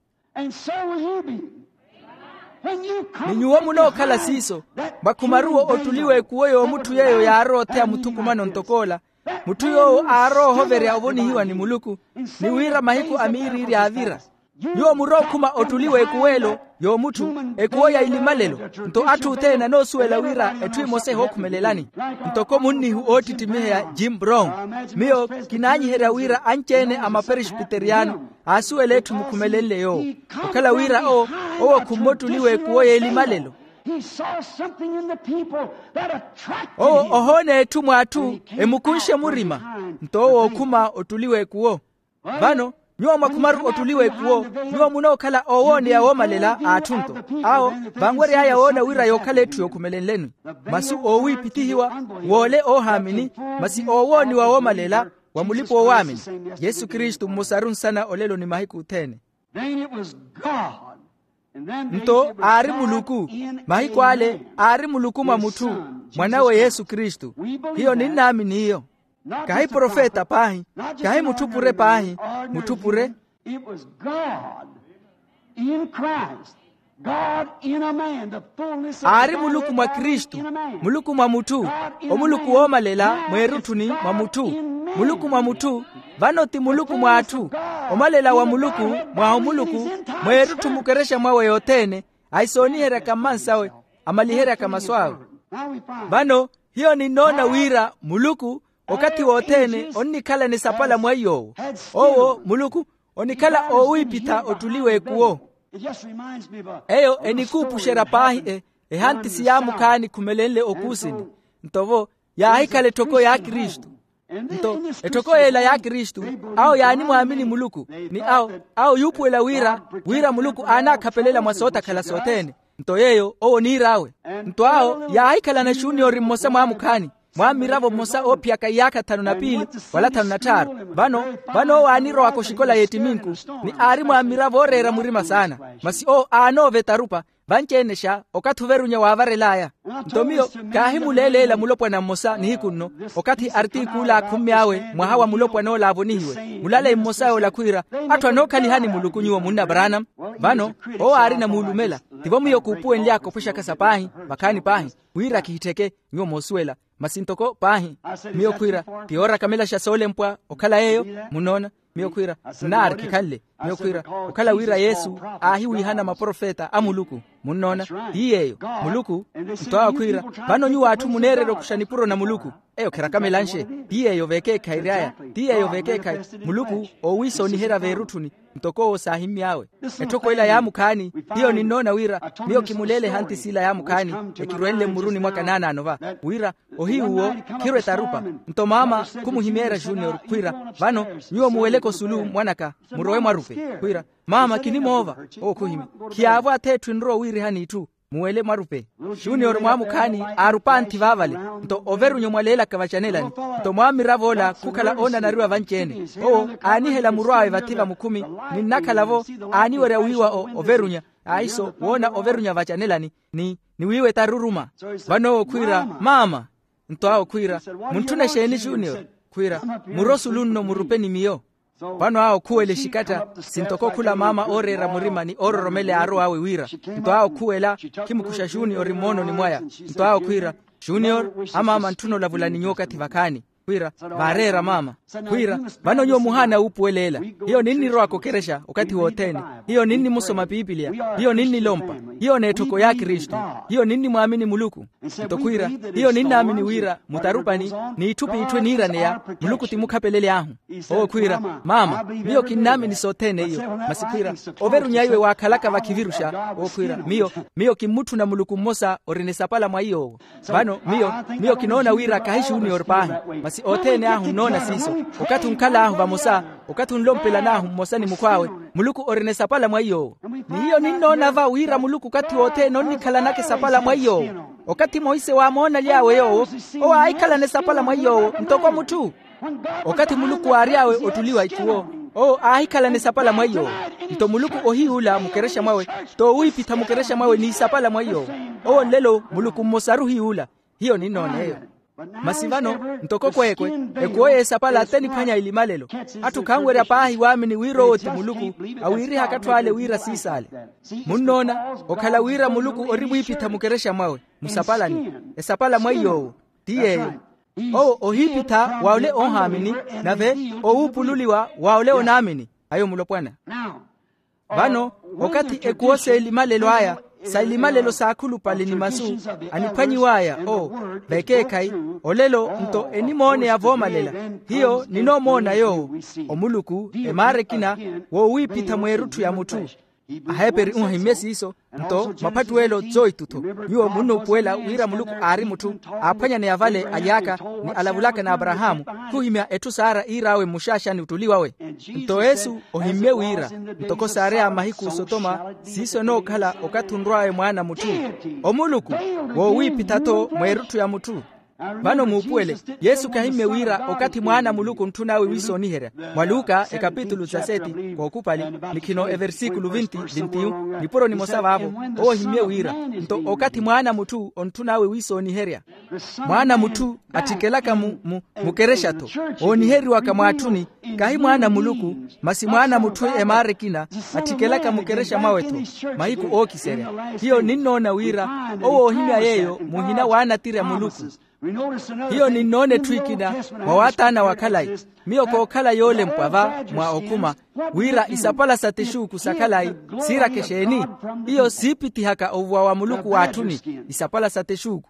Ni nyuwo munookhala siiso, mwakhumaruwo ottuli w'ekuwo y'omutthu yeeyo yaarowa otheya muthukumano ntok'ola. Mutthu yoowo aarowa ohoverya ovonihiwa ni muluku, ni wira mahiku a miiriiri aavira. Nyuwo murookhuma ottuli w'ekuwelo y'omutthu, ekuwo ya ilimalelo. Nto atthu othene anoosuwela wira etthu emosa ehookhumelelani. Ntoko munnihu oottittimiheya jim brown, miyo kinaanyiherya wira anci-ene a maperesbiteriyano aasuwela etthu mukhumelenle yoowo. Okhala wira owo owo okhumme ottuli w'ekuwo y'elimalelo. Owo ohoona etthu mw'atthu emukunxe murima. Nto owo ookhuma ottuli w'ekuwo. Vano nyuwo mwakhumaru ottuli w'ekuwo, nyuwo munookhala oowooneya woomalela a atthu nto. Awo vanwery'aya woona wira yookhala etthu yookhumelenleni. Masu oowiipithihiwa, woole oohaamini, masi oowooniwa woomalela wa mulipa-oowaamini. Yesu kristu mmosaru nsana olelo ni mahiku othene. Nto aari muluku. Mahiku ale aari muluku mwa mutthu, mwan'awe yesu kristu. Hiyo ninnaamini iyo. Kahi profeta paahi, kahi mutthu pure paahi, mutthu pure. Aari muluku mwa kristu, muluku mwa mutthu, omuluku woomalela mweerutthuni mwa mutthu. Muluku mwa mutthu, vano ti muluku mw'atthu. Omalela wa muluku, mwaha omuluku, mweerutthu mukerexa mwawe yothene, ahisooniheryaka mmansawe, amaliheryaka masu awe. Vano hiyo ninnoona wira muluku okathi wothene onnikhalana esapala mwa iy'owo. Owo muluku onikhala oowiipitha ottuli w'ekuwo. Eyo enikuupuxerya paahi e ehantisi yaamukhaani khumelenle okuusini. Nto-vo yaahikhala etthoko ya kristu. Nto etthoko y'ela ya kristu, awo yaanimwaamini muluku, ni awo awo yuupuwela wira wira muluku aanaakhapelela mwa sootakhala sothene. Nto yeeyo owo oniir'awe. Nto awo yaahikhalana juniori mmosa mwaamukhaani, mwaammiravo mmosa oophiyaka iyaakha thanu na piili wala thanu na tthaaru. Vano vano owo aanirowaka oxikola y'ettiminku, ni aari mwaammiravo ooreera murima saana. Masi owo aanoova etarupa. Vanci-ene xa okathi overunya waavarel'aya. Nto miyo kaahimuleeleela mulopwana mmosa nihiku nno, okathi artikuula aakhumme awe mwaha wa mulopwan'ola aavonihiwe, mulaleyi mmosa yoola khwiira, atthu anookhalihani muluku nyuwo munna branam. Vano owo aarina muulumela. Tivo miyo kuupuwenly'aka ophwexaka sa paahi, vakhaani paahi, wira kihittheke nyuwo moosuwela. Masi ntoko paahi, miyo khwiira, ti yoora kamelaxa soolempwa okhala yeeyo. Munnoona? Miyo khwiira, nnaari khikhanle. Miyo khwiira, okhala wira yesu aahiwiihana maprofeta a muluku. Munnoona? Ti yeeyo. Muluku. Nto awo khwiira, vano nyuwo atthu muneererya okuxa nipuro na muluku. Eyo khirakamela nxe. Ti yeeyo veekeekhayi ry'aya. Ti yeeyo veekeekhayi. Muluku oowiisooniherya veerutthuni. Ntoko owo saahimmy'awe. Etthoko ela yaamukhaani. Hiyo ninnoona wira, miyo kimuleele ehanti s'ila yaamukhaani, ekirwenle mmuruni mwaka naanaano va, wira ohiyu owo khirwe tarupa. Nto maama khumuhimeerya junior khwiira, vano nyuwo muweleke osulu mwanaka, murowe mwarupe. Khwiira, maama kinimoova. Owo khuhimya. Khiyaavo ath'etthu enrowa owiirihani itthu. Muwele mwarupe. Junior mwaamukhaani aarupa anthi vaavale. Nto overunya omwaleelaka vacanelani. Nto mwaamiravo ola khukhala oonanariwa vanci-ene. Owo aanihela muru awe vathi vamukhumi. Ninnakhala-vo aaniwerya wiiwa overunya. Ahiso woona overunya vacanelani, ni niwiiwa etaruruma. Vano owo khwiira, maama. Nto awo khwiira, muntthuna exeeni junior? Khwiira, muro sulu nno murupe ni miyo. Vano awo khuwela exikatta, sintoko khula maama ooreera murima ni oororomela eyaarow'awe wira. Nto awo khuwela, khimukuxa junior mmoononi mwaya. Nto awo khwiira, junior, amaama antthuna olavula ni nyuwo okathi vakhaani. Khwiira, vaareera maama. Khwiira, vano nyuwo muhaana wuupuwelela. Hiyo ninnirowaka okerexa okathi wothene. Hiyo ninnimusoma pipiliya. Hiyo ninnilompa. Hiyo n'etthoko y'akristu. Hiyo ninnimwaamini muluku. Nto khwiira, hiyo ninnaamini wira mutarupani, n'itthu p'itthu eniiraneya, muluku ti mukhapelele ahu. Owo khwiira, maama, miyo kinnaamini sothene iyo. Masi khwiira, overunya iwe waakhalaka vakhiviruxa. Owo khwiira, miyo, miyo kimmutthuna muluku mmosa orina esapala mwa iy'owo. Vano miyo, miyo kinoona wira khahi junior paahi. Masi othene ahu nnoona siiso. Okathi onkhal'ahu vamosa, okathi onlompelan'ahu mmosa ni mukhw'awe, muluku orina esapala mwa iy'owo. Ni hiyo ninnoona va wira muluku okathi wothene onnikhalanaka esapala mwa iy'owo. Okathi monse waamoonaly'awe yoowo, owo aahikhalana esapala mwa iy'owo ntoko mutthu. Okathi muluku aary'awe ottuliwa ikhuwo, owo aahikhalana esapala mwa iy'owo. Nto muluku ohiy'ula mukerexa mwawe, t'owiipitha mukerexa mwawe n'isapala mwa iy'owo. Owo nlelo muluku mmosaru ohiy'ula. Hiyo ninnoona eyo. Masi vano, ntoko kweekwe, ekhuwo y'esapala t'eniphwanya elimalelo. Atthu khanwerya paahi waamini wira owo ti muluku, awiirihaka atthu ale wira siisaale. Munnoona, okhala wira muluku ori mwiipitha mukerexa mwawe, musapalani, esapala mwa iy'owo. Ti yeeyo. Owo ohiipitha wa ole oohaamini, nave owuupululiwa wa ole onaamini. Ayo mulopwana. Vano, okathi ekhuwo s'elimalelo aya, sa elimalelo s'akhulupale ni masu aniphwanyiw'aya, o, vekeekhayi, olelo nto enimooneya voomalela. Hiyo ninoomoona yoowo, omuluku, emaara ekina, woowiipitha mweerutthu ya mutthu. Aheeperi ohimmye siiso. Nto maphattuwelo tsoitutho, nyuwo munnuupuwela wira muluku aari mutthu, aaphwanyaneya vale alyaaka, ni alavulaka n'aparahaamu, khuhimya etthu saara iir'awe mmuxaaxani ottuli wawe. Nto yesu ohimmye wira, ntoko saareya mahiku sotoma, siiso enookhala okathi onrw'awe mwaana a mutthu. Omuluku, woowiipitha-tho mweerutthu ya mutthu. Vano muupuwele, yesu khahimmye wira okathi mwaana a muluku ontthun'awe wiisooniherya. Mwa luka ekapitulu dezaseti, kookupali, nikhino eversikulu vinti vintiyu, nipuro nimosa vaavo. Owo ohimmye wira, nto okathi mwaana a mutthu ontthun'awe wiisooniherya. Mwaana a mutthu atthikelaka mu, mu, mukerexa-tho, ooniheriwaka mwaatthuni, khahi mwaana a muluku, masi mwaana a mutthu emaara ekina, atthikelaka mukerexa mwawe-tho, mahiku ookiserya. Hiyo ninnoona wira, owo oohimya yeeyo muhina waanatirya muluku. Hiyo ninnoona etthu ekina, mwa waathaana wa khalayi, miyo kookhala yoolempwa va mwa okhuma, wira isapala sa texuuku sa khalayi, siiraka exeeni? Hiyo siipitihaka ovuwa wa muluku w'atthuni, isapala sa texuuku.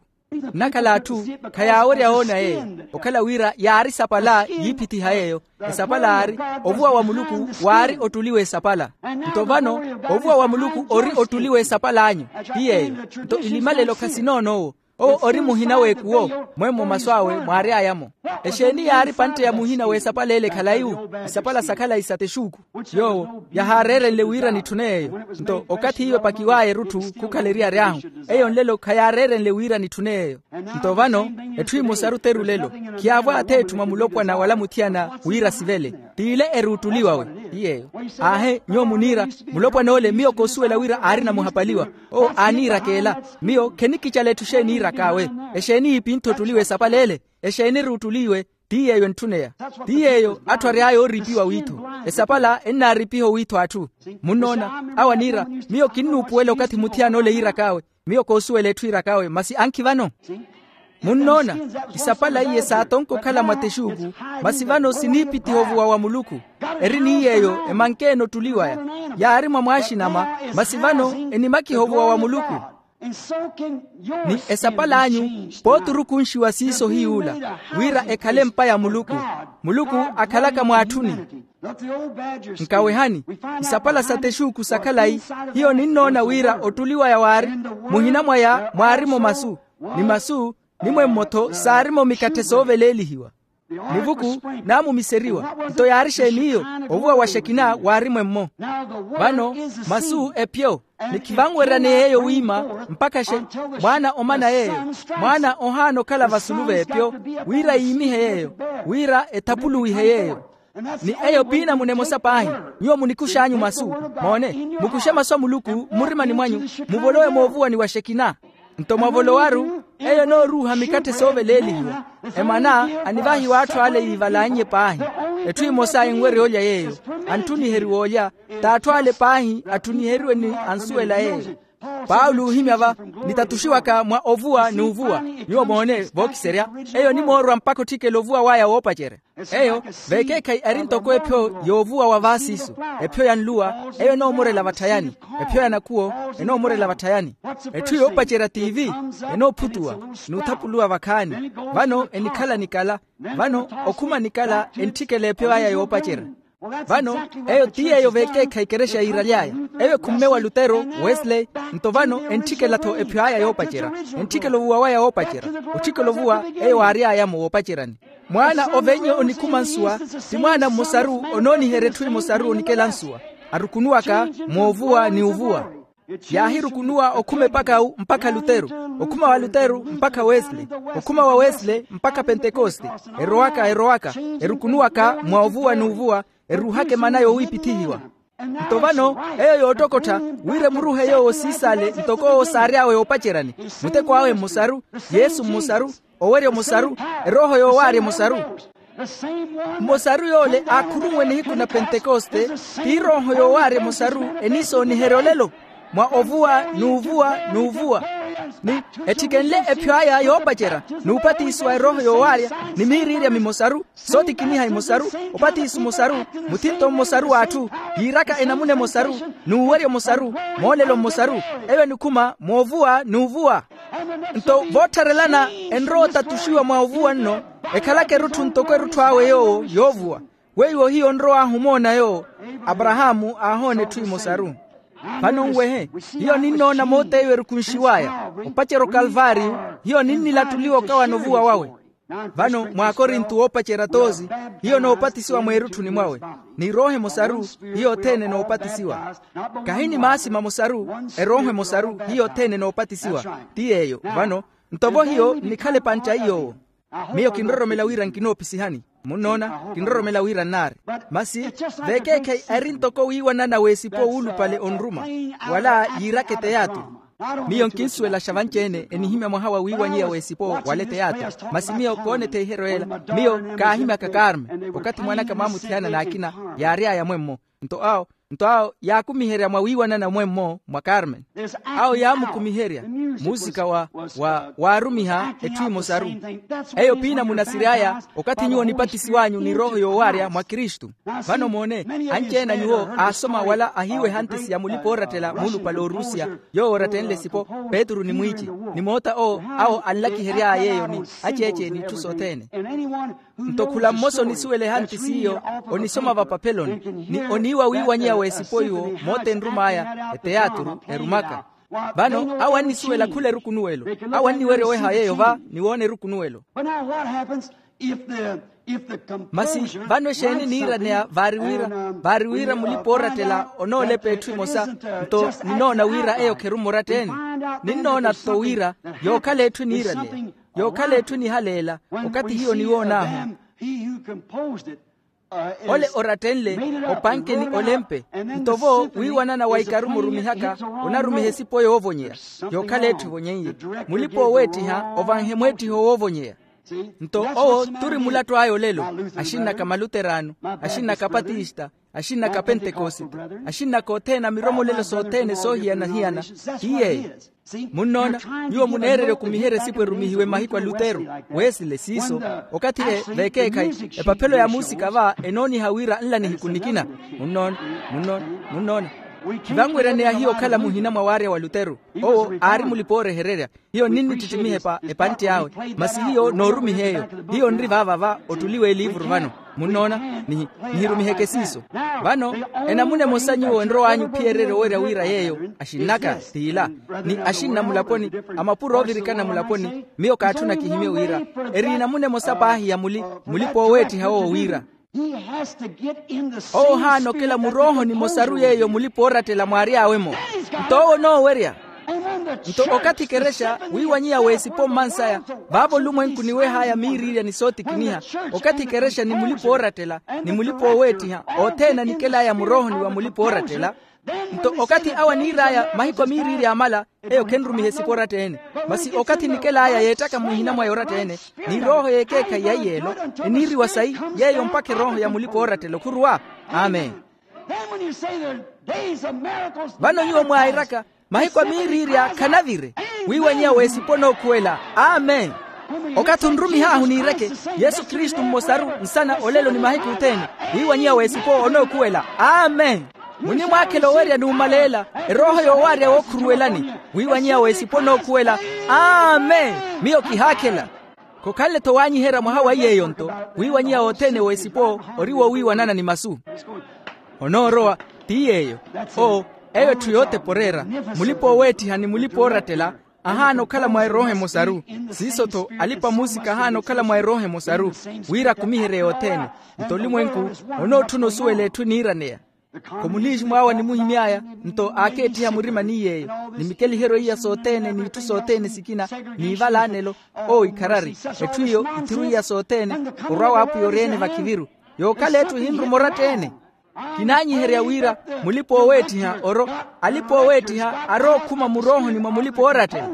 Nnakhala atthu, khayaawerya woona yeeyo, okhala wira yaari sapala yiipitiha yeeyo. Esapala aari, ovuwa wa muluku waari ottuliwa esapala. Nto vano, ovuwa wa muluku ori ottuliwa esapal'anyu. Ti yeeyo. Nto ilimalelo khasinoono owo. Owo ori muhina w'ekuwo. Mwemmo masu awe mwaary'aya-mo. Exeeni yaari pantte ya muhina w'esapala ele khalayi-wu? Isapala sa khalayi sa texuuku. Yoowo yahaareerenle wira nitthune yeeyo. Nto okathi iwe epakiw'aya erutthu khukhala eriyari ahu. Eyo nlelo khayaareerenle wira nitthune yeeyo. Nto vano etthu emosaru teru lelo. Khiyaavwa atheetthu mwa mulopwana wala muthiyana wira sivele. T'ile eruuttuliwawe. Ti yeeyo. Aahe nyuwo muniira, mulopwan'ole miyo koosuwela wira aarina muhapaliwa. Owo aaniirakeela. Miyo khenikicala etthu xeeni iirak'awe. Exeeni yiipinthe otthuliwa esapala ele? Exeeni eruuttuliwe? Ti yeeyo entthuneya. Ti yeeyo atthu ary'aya ooriipiwa wiitho. Esapala ennaariipiha owiitho atthu. Munnoona? Awo aniira, miyo kinnuupuwela okathi muthiyana ole yiirak'awe. Miyo koosuwela etthu iirak'awe masi ankhi vano. Munnoona? Isapala iye saatonka okhala mwa texuuku. Masi vano siniipitiha ovuwa wa muluku. Eri ni yeeyo emankeene ottuli waya. Yaari mwa mwaaxinama. Masi vano enimakiha ovuwa wa muluku. Ni esapal'anyu pooti orukunxiwa siiso hiy'ula, wira ekhale empa ya muluku. Muluku akhalaka mw'atthuni. Nkawehani, isapala sa texuuku sa khalayi. Hiyo ninnoona wira ottuli waya waari, muhina mwaya mwaari-mo masu, ni masu, ni mwemmo-tho saari-mo mikatthe sooveleelihiwa. Nivuku naamumiseriwa. Nto yaari xeeni iyo? Ovuwa wa xekina waari mwemmo. Vano masu epyo, ni khivanweryaneya yeeyo wiima mpakha xe mwaana omana yeeyo, mwaana ohaana okhala vasulu v'epyo, wira yiimihe yeeyo, wira ethapuluwihe yeeyo. Ni eyo piinamuna emosa paahi. Nyuwo munikux'anyu masu. Moone, mukuxe masu a muluku mmurimani mwanyu, muvolowe moovuwani wa xekina. Nto mwavolowaru eyo enooruuha mikatthe sooveleelihiwa. Emana anivahiwa atthu ale yiivalannye paahi. Etthu emosa enwerya olya yeeyo, antthuniheriwa olya. T'atthu ale paahi atthunniheriwe ni ansuwela yeeyo. Paulo oohimya va, nitatuxiwaka mwa ovuwa n'uvuwa. Nyuwo moone vookiserya, eyo onimoorwa mpakha otthikela ovuwa waya woopacerya. Eyo veekeekhayi eri ntoko ephyo y'ovuwa wa vaasiiso. Ephyo ya nluwa eyo enoomorela vatthayani. Ephyo ya nakhuwo enoomorela vatthayani. Etthu yoopacerya tiivi enoophutuwa, n'uthapuluwa vakhaani. Vano enikhala nikala. Vano okhuma nikala entthikela ephyo aya yoopacerya. Vano eyo ti yeeyo veekeekhayi ekerexa yiiraly'aya. Eyo ekhumme wa lutero, wesley. Nto vano entthikela-tho ephyo aya yoopacerya. Entthikela ovuwa waya woopacerya. Otthikela ovuwa eyo waary'aya-mo woopaceryani. Mwaana ovenye onikhuma nsuwa, ti mwaana mmosaru onooniherya etthu emosaru onikela nsuwa. Arukunuwaka moovuwa ni uvuwa. Yaahirukunuwa okhuma epakawu mpakha luteru, okhuma wa luteru mpakha wesley, okhuma wa wesley mpakha pentekoste. Erowaka erowaka, erukunuwaka mwa ovuwa n'uvuwa, eruuhaka emana yowiipithihiwa. Nto vano eyo yoottokottha, wira emuruhe yoowo siisale ntoko owo saary'awe yoopaceryani. Muteko awe mmosaru, yesu mmosaru, owerya omosaru, erooho yoowaarya emosaru. Mmosaru yoole aakhurunwe nihiku na pentekoste, ti erooho yoowaarya emosaru eniisooniherya olelo, mwa ovuwa n'uvuwa n'uvuwa. Ni ettikenle ephyo aya yoopacerya, n'upatisiwa erooho yoowaarya, ni miiriirya mimosaru, sootikiniha imosaru, opatiso omosaru, muthinto mmosaru w'atthu, yiiraka enamuna emosaru, n'uwerya omosaru, moolelo mmosaru. Eyo enikhuma moovuwa n'uvuwa. Nto voottharelana enrowa otatuxiwa mwa ovuwa nno, ekhalaka erutthu ntoko erutthu awe yoowo yoovuwa. Weiwo hiyo onrow'ahu omoona yoowo. Aparahaamu aahoona etthu emosaru. Vano nwehe, hiyo ninnoona moot'eyo erukunxiw'aya, opacerya okalvaariyo. Hiyo ninnilattuliwa okawana ovuwa wawe. Vano mw'akorinto woopacerya toosi, hiyo noopatisiwa mweerutthuni mwawe. N'erooho emosaru, hiyo othene noopatisiwa. Kahi ni maasi mamosaru, erooho emosaru hiyo othene noopatisiwa. Ti yeeyo vano. Nto vo hiyo nnikhala epantta iy'owo. Miyo kinroromela wira nkinoopisihani. Munnoona, kinroromela wira nnaari. Masi veekeekhayi eri ntoko wiiwanana w'esipo wuulupale onruma, wala yiiraka eteyaturu. Miyo nkinsuwelaxa vanci-ene enihimya mwaha wa wiiwanyeya w'esipo wala eteyaturu. Masi miyo koonetheiheriwa ela. Miyo kaahimyaka karme okathi mwanaka mwaamuthiyana n'akina, yaary'aya mwemmo. Nto awo nto awo yaakumiherya mwa wiiwanana mwemmo mwa karmen. Awo yaamukumiherya muusika wa wa waarumiha etthu emosaru. Eyo piina munasiry'aya okathi nyuwo nipatisiw'anyu ni rooho yoowaarya mwa kristu. Vano moone, anci-ene a nyuwo aasoma wala ahiiwa ehantisi ya mulipa-oorattela muulupale orusiya, yoowo oorattenle esipo, petru ni mwiici, ni moota owo awo anlakihery'aya yeeyo ni aceece n'itthu sothene. Nto khula mmosa onisuwela ehantisi iyo, onisoma vapapeloni, ni oniiwa wiiwanyeya w'esipo iwo moota enrum'aya eteyaturu erumaka. Vano awo annisuwela khula erukunuwelo. Awo anniwerya oweha yeeyo va ni woona erukunuwelo. Masi vano exeeni niiraneya vaari wira vaari wira mulipa oorattela onoolepa etthu emosa. Nto ninoona wira eyo kheru mmoratta-ene. Ninnoona-tho wira yookhala etthu eniiraneya, yookhala etthu enihaleela. Okathi hiyo niwoon'ahu ole orattenle opankeni olempe. Nto vo wiiwanana wa ikarumo orumihaka onarumiha esipo yoovonyeya, yookhala etthu evonyeiye. Mulipa ooweettiha ovanhe mweettiho woovonyeya. Nto owo turi mulattu aya olelo. Axinnaka maluterano, axinnaka apatista, axinnaka apentekosite, axinnaka othene a miromolelo sothene soohiyana-hiyana. Ti yeeyo. Munnoona, nyuwo muneererya okumiherya esipo erumihiwe mahiku a lutero, wesile siiso. Okathi-le vekeekhayi epaphelo ya muusika va enooniha wira nla nihiku nikina. Munnoona, munnoona, munnoona. Khivanweryaneya hiyo okhala muhina mwa waarya wa lutero. Owo aari mulipa oorehererya. Hiyo nninnittittimiha epantti awe. Masi hiyo noorumiha eyo. Hiyo nri vaava va ottuli w'eliivuru vano. Munnoona? Nihirumiheke siiso. Vano enamuna emosa nyuwo enrow'anyu ophiyererya owerya wira yeeyo, axinn'aka, t'ila ni axinna mulaponi, a mapuro oovirikana mulaponi. Miyo kaatthuna kihimye wira eri enamuna emosa paahi ya muli mulipa ooweettiha owo wira owo ohaana okela murooho nimosaru yeeyo mulipa oorattela mwaary'awe-mo. Nto owo onoowerya. Nto okathi ekerexa wiiwanyiya w'esipo mmansaya, vaavo olumwenku niweh'aya miiriirya ni sootikiniha. Okathi ekerexa ni mulipa oorattela ni mulipa ooweettiha othene anikel'aya muroohoni wa mulipa oorattela. Nto okathi awo aniir'aya mahiku a miiriirya amala, eyo khenrumiha esipo oratta-ene. Masi okathi enikel'aya yeettaka muhina mwa yoratta-ene, ni erooho y'ekeekhayi ya iyeelo eniiriwa sayi yeeyo mpakha erooho ya mulipa oorattela okhuruwa. Amen. Vano nyuwo mwairaka mahiku a miiriirya khanavire, wiiwanyiya w'esipo onookhuwela. Amen. Okathi onrumih'ahu niireke yesu kristu mmosaru nsana olelo ni mahiku othene, wiiwanyiya w'esipo onookhuwela. Amen. Munimwaakhela owerya n'umaleela erooho yoowaarya wookhuruwelani, wiiwanyiya w'esipo onookhuwela. Amen. Miyo kihaakhela. Khokhanle-tho waanyiherya mwaha wa iy'eyo-nto, wiiwanyiya wothene w'esipo ori wowiiwanana ni masu. Onoorowa. Ti yeeyo. Oo, eyo etthu yootepa oreera. Mulipa ooweettiha ni mulipa oorattela ahaana okhala mwa erooho emosaru. Siiso-tho alipa-muusika ahaana okhala mwa erooho emosaru, wira akumiherye yothene. Nto olumwenku onootthuna osuwela etthu eniiraneya. Komuniixi mwaawe animuhimy'aya, nto aakeettiha murima ni yeeyo, ni mikeliheryo iya sothene n'itthu sothene sikina, n'ivala anelo. Oo ikharari. Etthu iyo ithiru iya sothene. Orwa w'apwiya ori-ene vakhiviru, yookhala etthu ehinruma oratta-ene. Kinaanyiherya wira mulipa ooweettiha oro alipa ooweettiha arookhuma muroohoni mwa mulipa oorattela.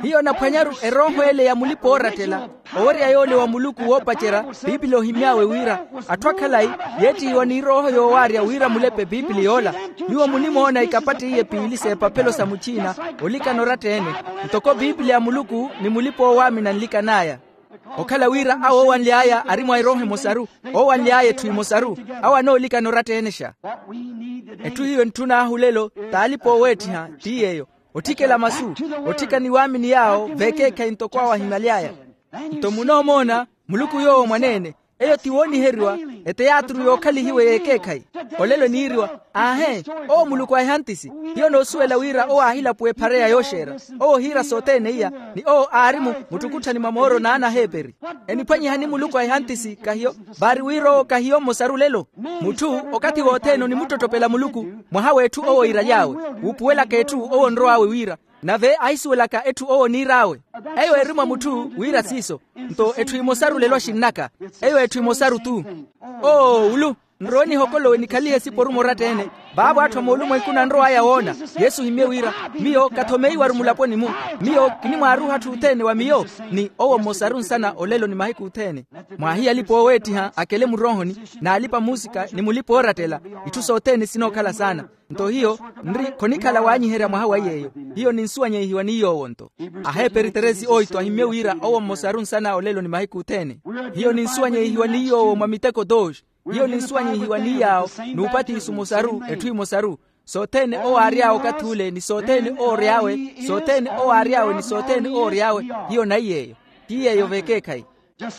Hiyo onaphwanyaru erooho ele ya mulipa oorattela, owerya yoole wa muluku woopacerya. Piipili ohimy'awe wira atthu akhalayi yeettihiwa n'irooho yoowaarya wira mulepe piipili yoola. Nyuwo munimoona ikapattiye piili s'epaphelo sa muchiina olikana oratta-ene, ntoko piipili ya muluku ni mulipa oowaamina nlikan'aya. Okhala wira awo oowanly'aya ari mwa erooho emosaru, oowanly'aya etthu emosaru, awo anoolikana oratta-enexa. Etthu hiyo entthun'ahu lelo t'alipa ooweettiha. Ti yeeyo, otthikela masu, otthika ni waamini yaawo veekeekhayi ntoko awo ahimaly'aya. Nto munoomoona muluku yoowo mwaneene, eyo ti wooniheriwa. Eteyaaturu yookhalihiwe y'ekeekhayi. Olelo eniiriwa, aahe, owo muluku a ehantisi. Hiyo noosuwela wira owo aahilapuwa ephareya yooxeera. Owo ohiira sothene iya, ni owo aari mu muttukutthani mwa mooro n'anaheeperi. Eniphwanyihani muluku a ehantisi kahiyo? Vaari wira owo kahiyo mmosaru lelo. Mutthu okathi wothene onimuttottopela muluku, mwaha w'etthu owo iiraly'awe, wuupuwelaka etthu owo onrow'awe wira, nave ahisuwelaka etthu owo oniir'awe. Eyo eri mwa mutthu wira siiso. Nto etthu emosaru lelo axinn'aka, eyo etthu emosaru-tu. Oo ulu, nrowe nihokolowe nikhalihe esiporu moratta-ene. Vaavo atthu a moolumwenkuni anrow'aya woona. Yesu ohimye wira, miyo kathomeiwaru mulaponi-mu. Miyo kinimwaaruha atthu othene wa miyo. Ni owo mmosaru nsana olelo ni mahiku othene. Mwaahiya alipa ooweettiha akele muroohoni, n'alipa-muusika ni mulipa oorattela, itthu sothene sinookhala saana. Nto hiyo nri khonikhala waanyiherya mwaha wa iy'eyo. Hiyo ninsuwanyeihiwa ni yoowo-nto. Aheeperi teresi oito ahimmye wira owo mmosaru nsana olelo ni mahiku othene. Hiyo ninsuwanyeihiwa ni yoowo mwa miteko dos. Hiyo ninsuwanyeihiwa ni yaawo, n'upatiso omosaru etthu emosaru. Sothene owo aary'awe okathi ule ni sothene owo ory'awe, sothene owo aary'awe ni sothene owo ory'awe. Hiyo naiy'eyo. Ti yeeyo vekeekhayi.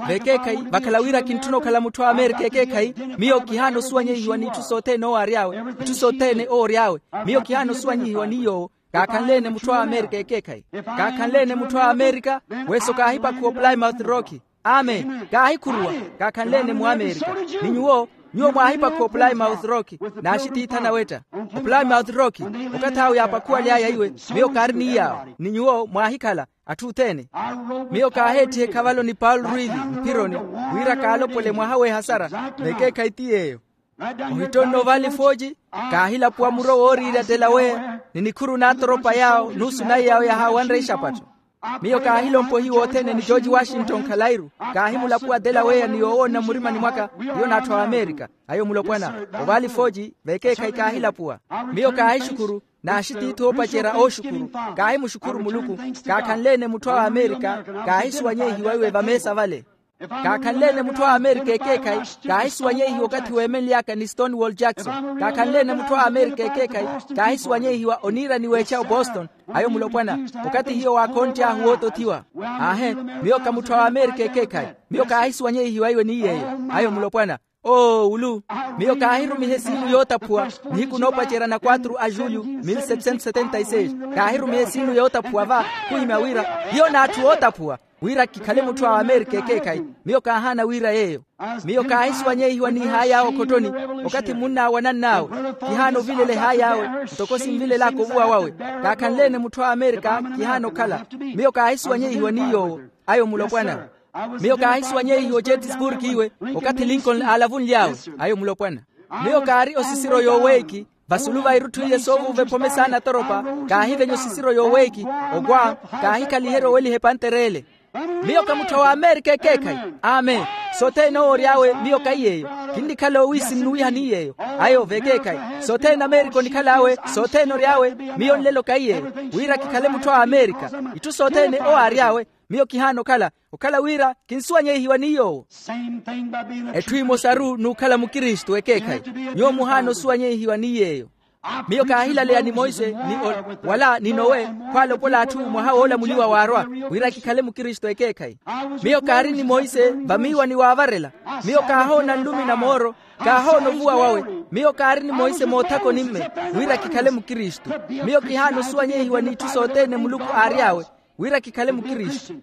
Vekeekhayi vakhala wira kintthuna okhala mutthu a amerika ekeekhayi. Miyo kihaana osuwanyehiwa n'itthu sothene owo ary'awe. Itthu sothene owo ory'awe. Miyo kihaana osuwanyehiwa ni yoowo. Kaakhanle-ene mutthu a amerika ekeekhayi. Kaakhanle-ene mutthu a amerika. Weso kaahipakhuwa oplymouth rock. Amen kaahikhuruwa. Kaakhanle-ene mu amerika. Ni nyuwo nyuwo mwaahipakhuwa oplymouth rock n'axitiitha nawetta. Oplymouth rock okathi awo yaapakhuwaly'aya iwe. Miyo kaari ni yaawo ni nyuwo mwaahikhala atthu othene. Miyo kaaheettiha ekhavalo ni paul ruili mphironi wira kaalopole mwaha w'ehasara. Vekeekhayi ti yeeyo. Ohittonne ovali fooci kaahilapuwa muro wooriirya delaweya ni nikhuru n'atoropa yaawo nuusu nayi yaawo yahaawanre ixapatto. Miyo kaahilompa ohiwa othene ni george washington khalairu. Kaahimulapuwa delaweya ni yoowoona mmurimani mwaka hiyo n'atthu a amerika. Ayo mulopwana ovali fooci vekeekhayi kaahilapuwa. Miyo kaahixukhuru n'axitiithi oopacerya ooxukhuru. Kaahimuxukhuru muluku. Kaakhanle-ene mutthu awe amerika kaahisuwanyehiwa iwe vameesa vale. Kaakhanle-ene mutthu awe amerika ekeekhayi kaahisuwanyehiwa okathi weemenly'aka ni stonewall jackson. Kaakhanle-ene mutthu awe amerika ekeekhayi kaahisuwanyehiwa oniira ni weecha oboston. Ayo mulopwana okathi hiyo waakhontt'ahu wootothiwa. Aahe miyo ka mutthu awe amerika ekeekhayi. Miyo kaahisuwanyehiwa iwe ni yeeyo. Ayo mulopwana oowulu. Miyo kaahirumiha esiinu yootaphuwa nihiku noopacerya na quatro a julho mil setecentos setenta y seis. Kaahirumiha esiinu yootaphuwa va khuhimya wira hiyo n'atthu ootaphuwa wira kikhale mutthu awe amerika ekeekhayi. Miyo kaahaana wira yeeyo. Miyo kaahisuwanyehiwa n'ihaayi awe okhottoni okathi munna awe anann'awe kihaana ovilela ehaayi awe ntoko sinvilel'aka ovuwa wawe. Kaakhanle-ene mutthu awe amerika kihaana okhala. Miyo kaahisuwanyehiwa ni yoowo. Ayo mulopwana. Miyo kaahisuwanyehiwa ojetisburg iwe okathi lincoln aalavunly'awe. Ayo mulopwana. Miyo kaari osisiro yooweeki vasulu va irutthu iye soovuuva ephome saana atoropa. Kaahivenya osisiro yooweeki okwa kaahikhaliherya oweliha epantere ele. Miyo ka mutthu awe amerika ekeekhayi. Amen. Sothene owo ory'awe miyo kahi yeeyo. Kinnikhala owiisi nnuwiha ni yeeyo. Ayo vekeekhayi sothene amerika onikhal'awe sothene ory'awe miyo nlelo kahi yeeyo. Wira kikhale mutthu awe amerika itthu sothene owo aary'awe. Miyo kihaana okhala okhala wira kinsuwanyehiwa ni yoowo. Etthu emosaru n'ukhala mukristu ekeekhayi. Nyuwo muhaana osuwanyehiwa ni yeeyo. Miyo kaahilaleya ni monse ni wala ni nowe khwaalopola atthu mwaha woolamuliwa waarwa wira kikhale mukristu ekeekhayi. Miyo kaari ni monse vamiiwani waavarela. Miyo kaahoona nlumi na mooro. Kaahoona ovuwa wawe. Miyo kaari ni monse moothaka onimme wira kikhale mukristu. Miyo kihaana osuwanyehiwa n'itthu sothene muluku aary'awe wira kikhale mukristu.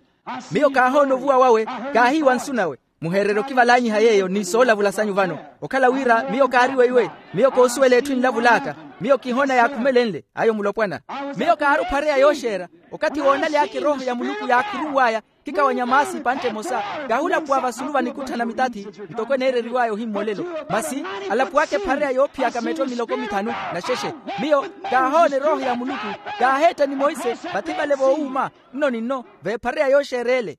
Miyo kaahoona ovuwa wawe. Kaahiiwa nsu nawe. Muheererye okivalanyiha yeeyo ni soolavula sanyu vano okhala wira miyo kaari weiwe. Miyo koosuwela etthu enlavul'aka. Miyo kihoona yaakhumelenle ayo mulopwana. Miyo kaari ophareya yooxeera okathi woonaly'aka erooho ya muluku yaakhuruw'aya. Kikawanya maasi epantte emosa kaahulapuwa vasulu va nikutthana mitathi ntoko eneereriw'aya ohimmolelo. Masi alapuwaka ephareya yoophiyaka metto miloko mithanu. Naxexe miyo kaahoona erooho ya muluku. Kaaheetta ni monse vathi vale voowuuma nno ni nno veephareya yooxeera ele.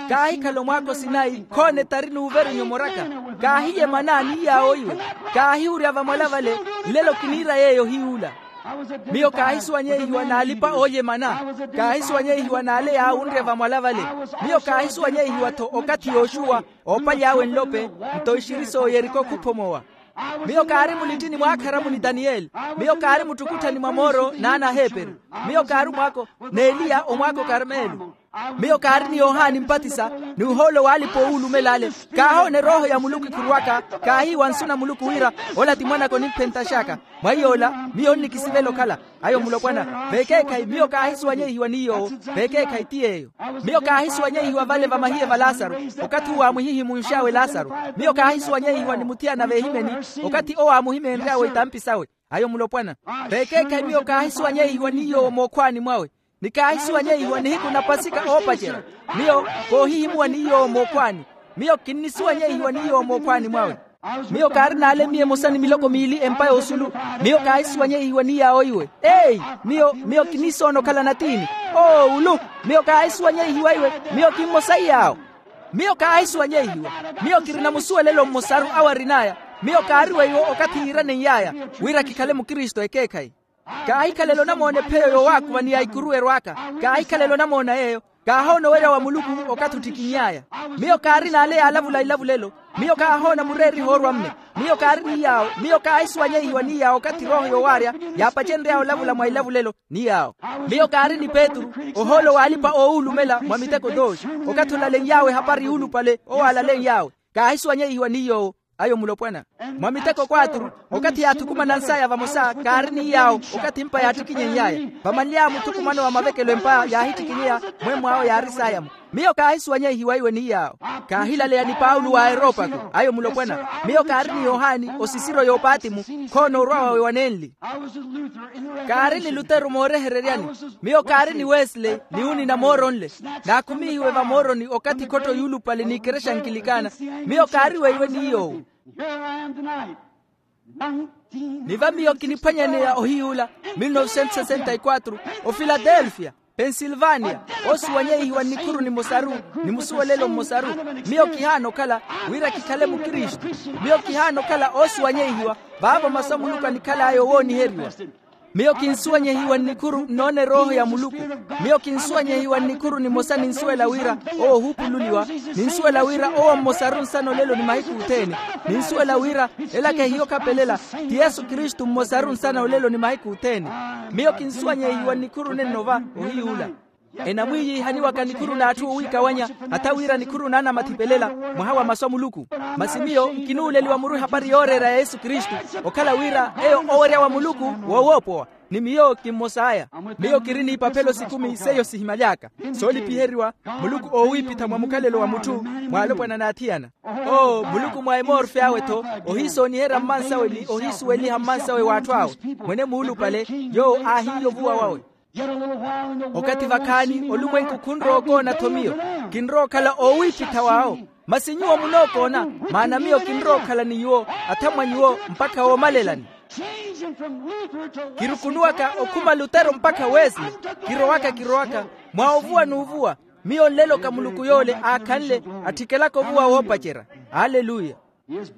Kaahikhala omwaaka osinayi khoona etari n'uveru nyomoraka. Kaahiye mana ni yaawo iwe. Kaahihurya vamwala vale. Nlelo kiniira yeeyo hiy'ula. Miyo kaahisuwanyehiwa n'alipa oolye mana. Kaahisuwanyehiwa n'ale yaawunrya vamwala vale. Miyo kaahisuwanyehiwa-tho okathi yooxuwa oopaly'awe nlope. Nto ixiri s'oyeriko khuphomowa. Miyo kaari mulittini mwaakharamu ni taniyeli. Miyo kaari muttukutthani mwa mooro n'ana aheeperu. Miyo kaari omwaako n'eliya omwaako karmelo. Miyo kaari ni yohani mpatisa ni ohoolo w'alipa owuulumela ale. Kaahoona erooho ya muluku ekhuruwaka. Kaahiiwa nsu na muluku wira ola ti mwanaka onimphentax'aka. Mwa iy'ola miyo onnikisivela okhala ayo mulopwana. Vekeekhayi miyo kaahisuwanyehiwa ni yoowo. Vekeekhayi ti yeeyo. Miyo kaahisuwanyehiwa vale vamahiye va lasaru okathi owo aamwihihimunx'awe lasaru. Miyo kaahisuwanyehiwa ni muthiyana veehimeni okathi owo aamuhimeenry'awe itampi sawe. Ayo mulopwana. Vekeekhayi miyo kaahisuwanyehiwa ni yoowo mookhwaani mwawe. Ni kaahisuwanyehiwa nihiku na pasika oopacerya. Miyo koohihimuwa ni yoowo mookhwaani. Miyo kinnisuwanyehiwa ni yoowo mookhwaani mwawe. Miyo kaari n'ale miyo emosa ni miloko miili empa y'osulu. Miyo kaahisuwanyehiwa ni yaawo iwe. Eyi miyo miyo kinisoona okhala natiini. Oowulu. Miyo kaahisuwanyehiwa iwe. Miyo kimmosa iyaawo. Miyo kaahisuwanyehiwa. Miyo kirina musuwelelo mmosaru awo arin'aya. Miyo kaari weiwo okathi yiiranen'y'aya wira kikhale mukristu ekeekhayi. Kaahikhalela onamoona epheyo yowaakuva ni ya ikuru erwaaka. Kaahikhalela onamoona yeeyo. Kaahoona owerya wa muluku okathi ottikinny'aya. Miyo kaari n'ale yaalavula ilavulelo. Miyo kaahoona mureeriha orwa mme. Miyo kaari ni yaawo. Miyo kaahisuwanyehiwa ni yaawo okathi erooho yoowaarya yaapacenry'awe olavula mwa ilavulelo. Ni yaawo. Miyo kaari ni petru, ohoolo w'alipa-oowulumela mwa miteko dooxi. Okathi olaleny'awe ehapari yuulupale owo alaley'awe. Kaahisuwanyehiwa ni yoowo. Ayo mulopwana. Mwa miteko kwatru, okathi yaathukumanansaya vamosa kaari ni yaawo. Okathi mpa yaattikinyeny'aya, vamanly'awe muthukumano wa mavekelo empa yaahittikinyeya. Mwemmw'awe yaarisaya-mo. Miyo kaahisuwanyehiwa iwe ni yaawo. Kaahilaleya ni paulo wa aeropako. Ayo mulopwana. Miyo kaari ni yohani osisiro y'opatimu. Khoona orwa wawe wanenli. Kaari ni lutero moorehereryani. Miyo kaari ni wesley ni unina mooro nle. Naakhumihiwe vamooroni okathi khotto yuulupale n'ikerexa nkilikana. Miyo kaari weiwe ni yoowo. Ni va miyo kiniphwanyaneya ohiy'ula. Mil novecentos sessenta y quatro, ofiladelfia, pensilvania, oosuwanyehiwa nnikhuru nimosaru, ni musuwelelo mmosaru. Miyo kihaana okhala wira kikhale mukristu. Miyo kihaana okhala oosuwanyehiwa. Vaavo masu a muluku anikhal'aya owooniheriwa. Miyo kinsuwanyehiwa nnikhuru nnoona erooho ya muluku. Miyo kinsuwanyehiwa nnikhuru nimosa ninsuwela wira owo ohuupululiwa. Ninsuwela wira owo mmosaru nsana olelo ni mahiku othene. Ninsuwela wira ela kehiyo khapelela, ti yesu kristu mmosaru nsana olelo ni mahiku othene. Miyo kinsuwanyehiwa nnikhuru nenno va ohiy'ula. Enamwiiyiihaniwaka nikhuru n'atthu owiikawanya, hatha wira nikhuru n'anamathi pelela mwaha wa masu a muluku. Masi miyo nkinuuleliwa muru ehapari yooreera ya yesu kristu, okhala wira eyo owerya wa muluku woowoopowa. Ni miyo kimmos'aya. Miyo kiri n'ipaphelo sikumi seiyo sihimaly'aka soolipiheriwa, muluku oowiipitha mwa mukhalelo wa mutthu, mwa alopwana n'athiyana. Oo muluku mwa emorfe awe-tho, ohiisooniherya mmansawe ni ohiisuweliha mmansawe w'atthu awe. Mwene muulupale yoowo aahiiya ovuwa wawe. Okathi vakhaani olumwenku khunrowa okoona-tho miyo, kinrowa okhala oowiipitha w'awo. Masi nyuwo munookoona, maana miyo kinrowa okhala ni nyuwo, athamwa nyuwo mpakha woomalelani. Kirukunuwaka okhuma lutero mpakha wesley. Kirowaka kirowaka mwa ovuwa n'uvuwa. Miyo nleloka muluku yoole aakhanle, atthikelaka ovuwa woopacerya. Aleluya.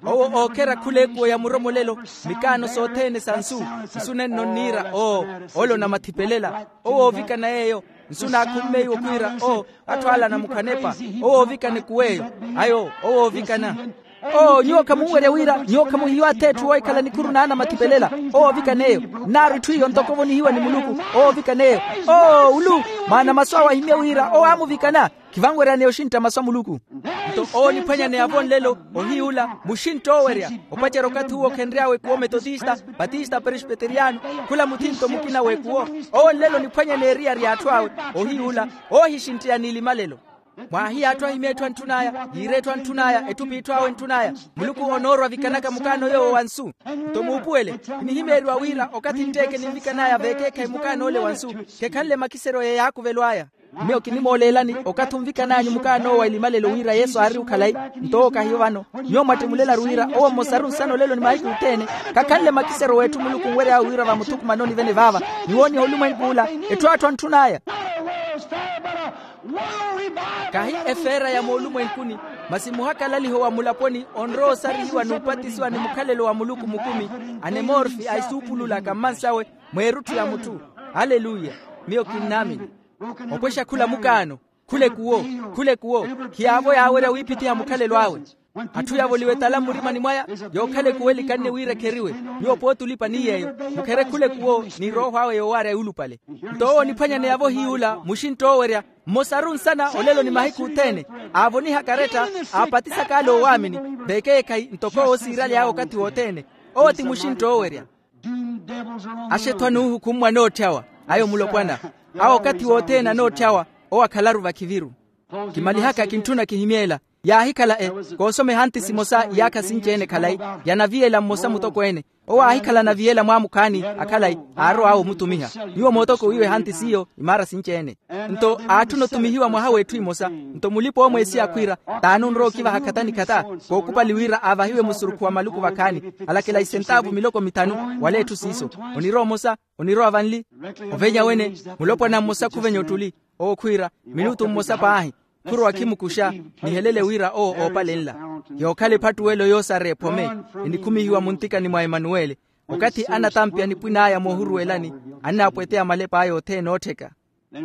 Owo ookherya khul'ekuwo ya muromolelo, mikaano sothene sa nsu. Nsu nenno nniira oo, ole onamathiphelela. Owo oovikana yeeyo. Nsu naakhummeiwe okhwiira oo, atthu alana mukhanepa. Owo oovikana ekuw'eyo. Ayo owo oovikana. Oo nyuwo khamunwerya wira nyuwo khamuhiiwa ath'etthu woohikhala nikhuru n'anamathiphelela. Owo oovikana eyo. Nnaaru itthu iyo ntoko ovonihiwa ni muluku. Owo oovikana eyo. Oo ulu, maana masu awe ahimye wira owo aamuvikana. Khivanweryaneya oxintta masu a muluku. Nto owo oniphwanyaneya-vo nlelo, ohiy'ula muxintta oowerya. Opacerya okathi uwo khenry'awe ekuwo metotista, batista prespeteriano, khula muthinto mukina w'ekuwo. Owo nlelo oniphwanyaneya eriyari y'atthu awe. Ohiy'ula oohixintteya n'ilimalelo. Mwaahiya atthu ahimye etthu antthun'aya, yiira etthu antthun'aya, etthu p'itthu awe ntthun'aya. Muluku onoorwa ovikanaka mukaano yoowo wa nsu. Nto muupuwele, kinihimeeriwa wira okathi ntteeke ninvikan'aya veekeekhayi mukaan'ole wa nsu, khekhanle makiseryo ya yaakuvelw'aya. Miyo kinimooleelani okathi onvikan'anyu mukaan'owo wa ilimalelo wira yesu aari okhalayi. Nto owo kahiyo vano. Nyuwo mwattimulelaru wira owo mmosaru nsana olelo ni mahiku othene. Khakhanle makiseryo w'etthu muluku onwery'awe wira vamuthukumanoni vene vaava, ni wooniha olumwenkuula, etthu atthu antthun'aya. Kahi efeera ya moolumwenkuni, masi muhakalaliho wa mulaponi onrowa osarihiwa n'upatisiwa ni mukhalelo wa muluku mukumi, anemorfi a isuupululaka mmansawe, mweerutthu ya mutthu. Aleluya. Miyo kinnaamini. Opwexa khula mukaano, khula ekuwo, khula ekuwo, khiyaavo yaawerya wiiphitiha mukhalelo awe. Atthu yavoliwa etala mmurimani mwaya, yookhala ekuwo elikanne wira ekheriwe. Nyuwo pooti olipa ni yeeyo, mukhere khula ekuwo, ni erooho awe yoowaarya yuulupale. Nto owo oniphwanyaneya-vo hiy'ula muxintta oowerya, mmosaru nsana olelo ni mahiku othene, aavoniha karetta, aapatisaka ale oowaamini, veekeekhayi ntoko owo siiraly'awe okathi wothene. Owo ti muxintta oowerya. Axetho anuuhukummwa anootthyawa, ayo mulopwana. Awo okathi wothene anootthyawa, owo akhalaru vakhiviru. Kimalihaka kintthuna kihimyeela. Yaahikhala e, koosoma ehanti simosa iyaakha sinci-ene khalayi, ya naviyela mmosa mutokweene. Owo aahikhala naviyela mwaamukhaani, akhalayi, aarowa awo omutumiha. Nyuwo mootoko wiiwa ehanti s'iyo imaara sinci-ene. Nto aatthuna otumihiwa mwaha w'etthu imosa. Nto mulipa-oomweesiya akhwiira, t'ani onrowa okivaha khata ni khata, kookupali wira aavahiwe musurukhu wa maluku vakhaani, alakela isentaavu miloko mithanu. Wala etthu siiso, onirowa omosa, onirowa vanli. Ovenya wene, mulopwana mmosa khuvenya ottuli. Owo khwiira, minutu mmosa paahi, khurowa khimukuxa, nihelele wira owo oopalenla. Yookhala ephattuwelo yoosareya ephome, enikhumihiwa muntikani mwa emanuwele. Okathi anatampya nipwin'aya moohuruwelani, annaapweteya malep'aya othene oottheka.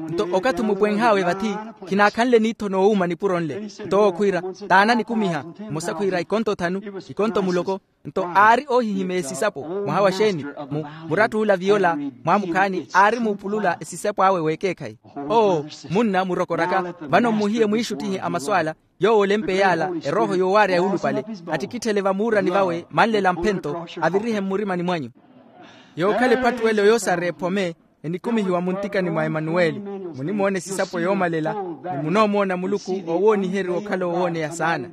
Nto okathi mupwenh'awe vathi, khinaakhanle niitho noowuuma nipuro nle. Nto owo khwiira, taana nikumiha. Mmosa khwiira ikonto thanu, ikonto muloko. Nto aari oohihimeya esisapo. Mwaha wa xeeni? Mu murattuula viyola. Mwaamukhaani aari muupulula esisapo awe w'ekeekhayi. Oo, munna murokoraka. Vano mmuhiye mwiixuttihe a masu ala. Yoowo olempeya ala, erooho yoowaarya yuulupale, attikitthele vamuurani vawe manlela mphento, avirihe mmurimani mwanyu. Yookhala ephattuwelo yoosareya ephome, enikumihiwa muntikani mwa emanuweli. Munimoona esisapo yoomalela, ni munoomoona muluku oowooniheriwa okhala owooneya saana.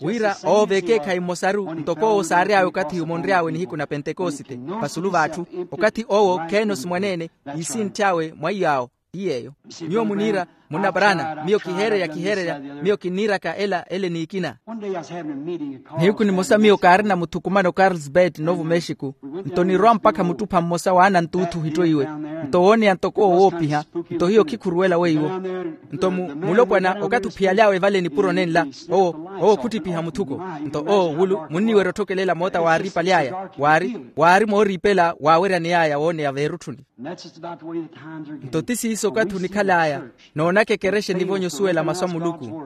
Wira oove ekeekhayi mmosaru ntoko owo saary'awe okathi-yu monry'awe nihiku na pentekosite, vasulu v'atthu. Okathi owo kheenosi mwaneene, iisintth'awe mwa iy'awo. Ti yeeyo. Nyuwo muniira, munna paraana, miyo kiheereya kiheereya, miyo kinniiraka ela ele n'ikina. Nihiku nimosa miyo kaarina muthukumano carlsbad novo mexico. Nto nirwa mpakha muttupha mmosa w'anantuuthu ohittoiwe. Nto wooneya ntoko owoopiha. Nto hiyo khikhuruwela weiwo. Nto mu mulopwana okathi ophiyaly'awe vale nipuro nenla, owo owo khuttipiha muthuko. Nto owo wulu munniwerya otthokelela moota waariipaly'aya. Waari waari mooriipela waaweryaney'aya wooneya veerutthuni. Nto ti siiso okathi onikhal'aya. Noonaka ekerexa enivonye osuwela masu a muluku.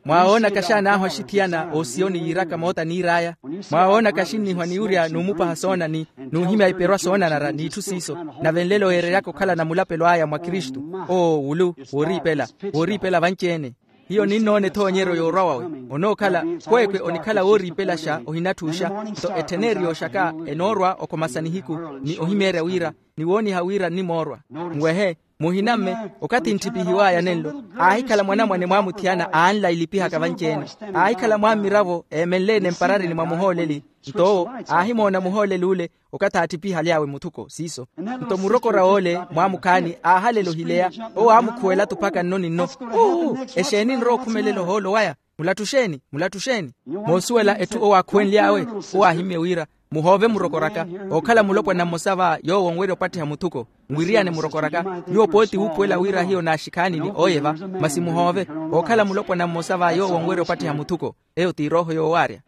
Mwawoonaka xaanaahu axithiyana osiyoni yiiraka moota niir'aya. Mwawoonaka axinnihwa ni wurya n'umupaha soonani, n'uhimya iperwa soonanara n'itthu siiso. Nave nlelo yeereryaka okhala na mulapelo aya mwa kristu. Oo wulu, wooriipela, wooriipela vanci-ene. Hiyo ninnoona ethoonyeryo yoorwa wawe. Onookhala, kweekwe onikhala wooriipelaxa ohinatthuuxa. Nto ettheneriyo xaka enoorwa okhomasa nihiku, ni ohimeerya wira, ni wooniha wira nnimoorwa. Nwehe, muhinamme, okathi ntthipihiw'aya nenlo, aahikhala mwanamwane mwaamuthiyana aanla ilipihaka vanci-ene. Aahikhala mwaammiravo eemenle-ene mpararini mwa muhooleli. Nto owo aahimoona muhooleli ule, okathi aatthipihaly'awe muthuko siiso. Nto murokora woole mwaamukhaani aahalela ohileya. Owo aamukhuwela-tho mpakha nno ni nno. Uu, exeeni nrowa okhumelela ohoolo waya? Mulattuxeeni, mulattuxeeni. Moosuwela etthu owo aakhuwenly'awe, owo aahimye wira, muhoove murokoraka. Ookhala mulopwana mmosa va yoowo onwerya opattiha muthuko. Nwiriyane murokoraka. Nyuwo pooti wuukhuwela wira hiyo naaxikhaani ni ooyeva. Masi muhoove. Ookhala mulopwana mmosa va yoowo onwerya opattiha muthuko. Eyo t'irooho yoowaarya.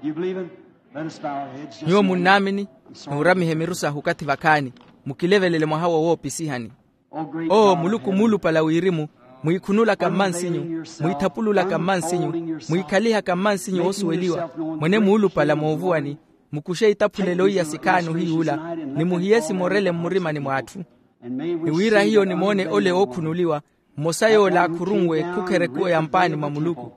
Nyuwo munnaamini? Nuuramihe miru sahu okathi vakhaani. Mukilevelele mwaha wowoopisihani. Oo muluku muulupala wirimu, mwiikhunulaka mmansinyu, mwiithapululaka mmansinyu, mwiikhalihaka mmansinyu woosuweliwa, mwene muulupala moovuwani. Mukuxe itaphulelo iya sikhaani ohiyuula, ni muhiye simorele mmurimani mw'atthu. Ni wira hiyo nimoone ole ookhunuliwa, mmosa yoola akhurunwe khukherekuwa ya mpaani mwa muluku.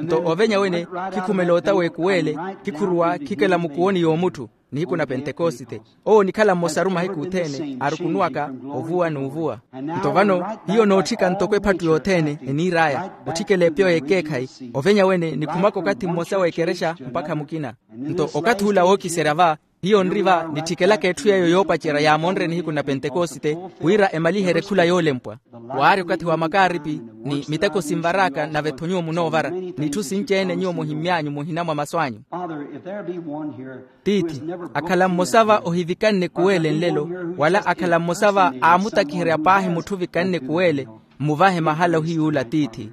Nto ovenya wene, khikhumela ota w'ekuweele, khikhuruwa khikela mukuwoni y'omutthu. Nihiku na pentekosite, owo onikhala mmosaru mahiku othene arukunuwaka ovuwa n'uvuwa. Nto vano, hiyo nootthika ntoko ephattu yothene eniir'aya, otthikela epyo y'ekeekhayi. Ovenya wene nikhumaka okathi mmosa w'ekerexa mpakha mukina. Nto okathi ula wookiserya va, hiyo nri va nitthikelaka etthu yeeyo yoopacerya yaamonre nihiku na pentekosite, wira emaliherye khula yoolempwa. Waari okathi wa makaaripi, ni miteko sinvar'aka nave-tho nyuwo munoovara, n'itthu sinci-ene nyuwo muhimmy'anyu muhina mwa masu anyu. Tiithi, akhala mmosa va ohivikanne kuweele nlelo, wala akhala mmosa va aamutakiherya paahi mutthu ovikanne kuweele, mmuvahe mahala ohiyuula tiithi.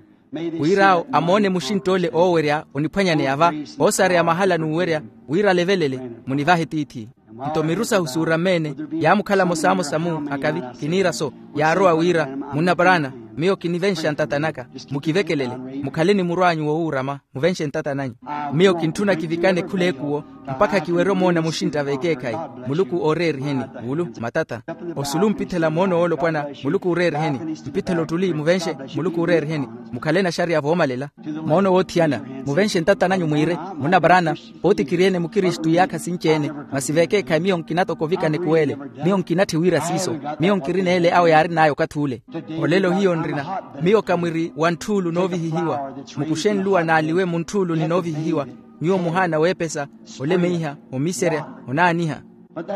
Wir'awo amoone muxintt'ole oowerya oniphwanyaneya va, oosareya mahala n'uwerya, wira alevelele, munivahe tiithi. Nto miru sahu suurameene, yaamukhala mosamosa-mu akavi, kiniira so, yaarowa wira, munna paraana, miyo kinivenxa ntata naka. Mukivekelele, mukhale ni murw'anyu wowuurama, muvenxe ntata nanyu. Miyo kintthuna kivikane khul'ekuwo, mpakha kiwerye omoona muxintta v'ekeekhayi. Muluku ooreeriheni, wulu, matata. Osulu mpithela moono woolopwana, muluku ooreeriheni. Mpithela ottuli muvenxe, muluku ooreeriheni. Mukhale naxariya voomalela. Moono woothiyana, muvenxe ntata nanyu mwiire, munna paraana, pooti kiri-ene mukristu iyaakha sinci-ene, masi v'ekeekhayi miyo nkina toko ovikane kuweele. Miyo nkinatthi wira siiso. Miyo nkirina ele awo yaarin'aya okathi ule. Olelo hiyo nrina, miyo ka mwiri wa ntthuulu noovihihiwa. Mukuxe nluwa n'aliwe mu ntthuulu ni noovihihiwa. Nyuwo muhaana weepesa, olemeiha, omiserya, onaaniha.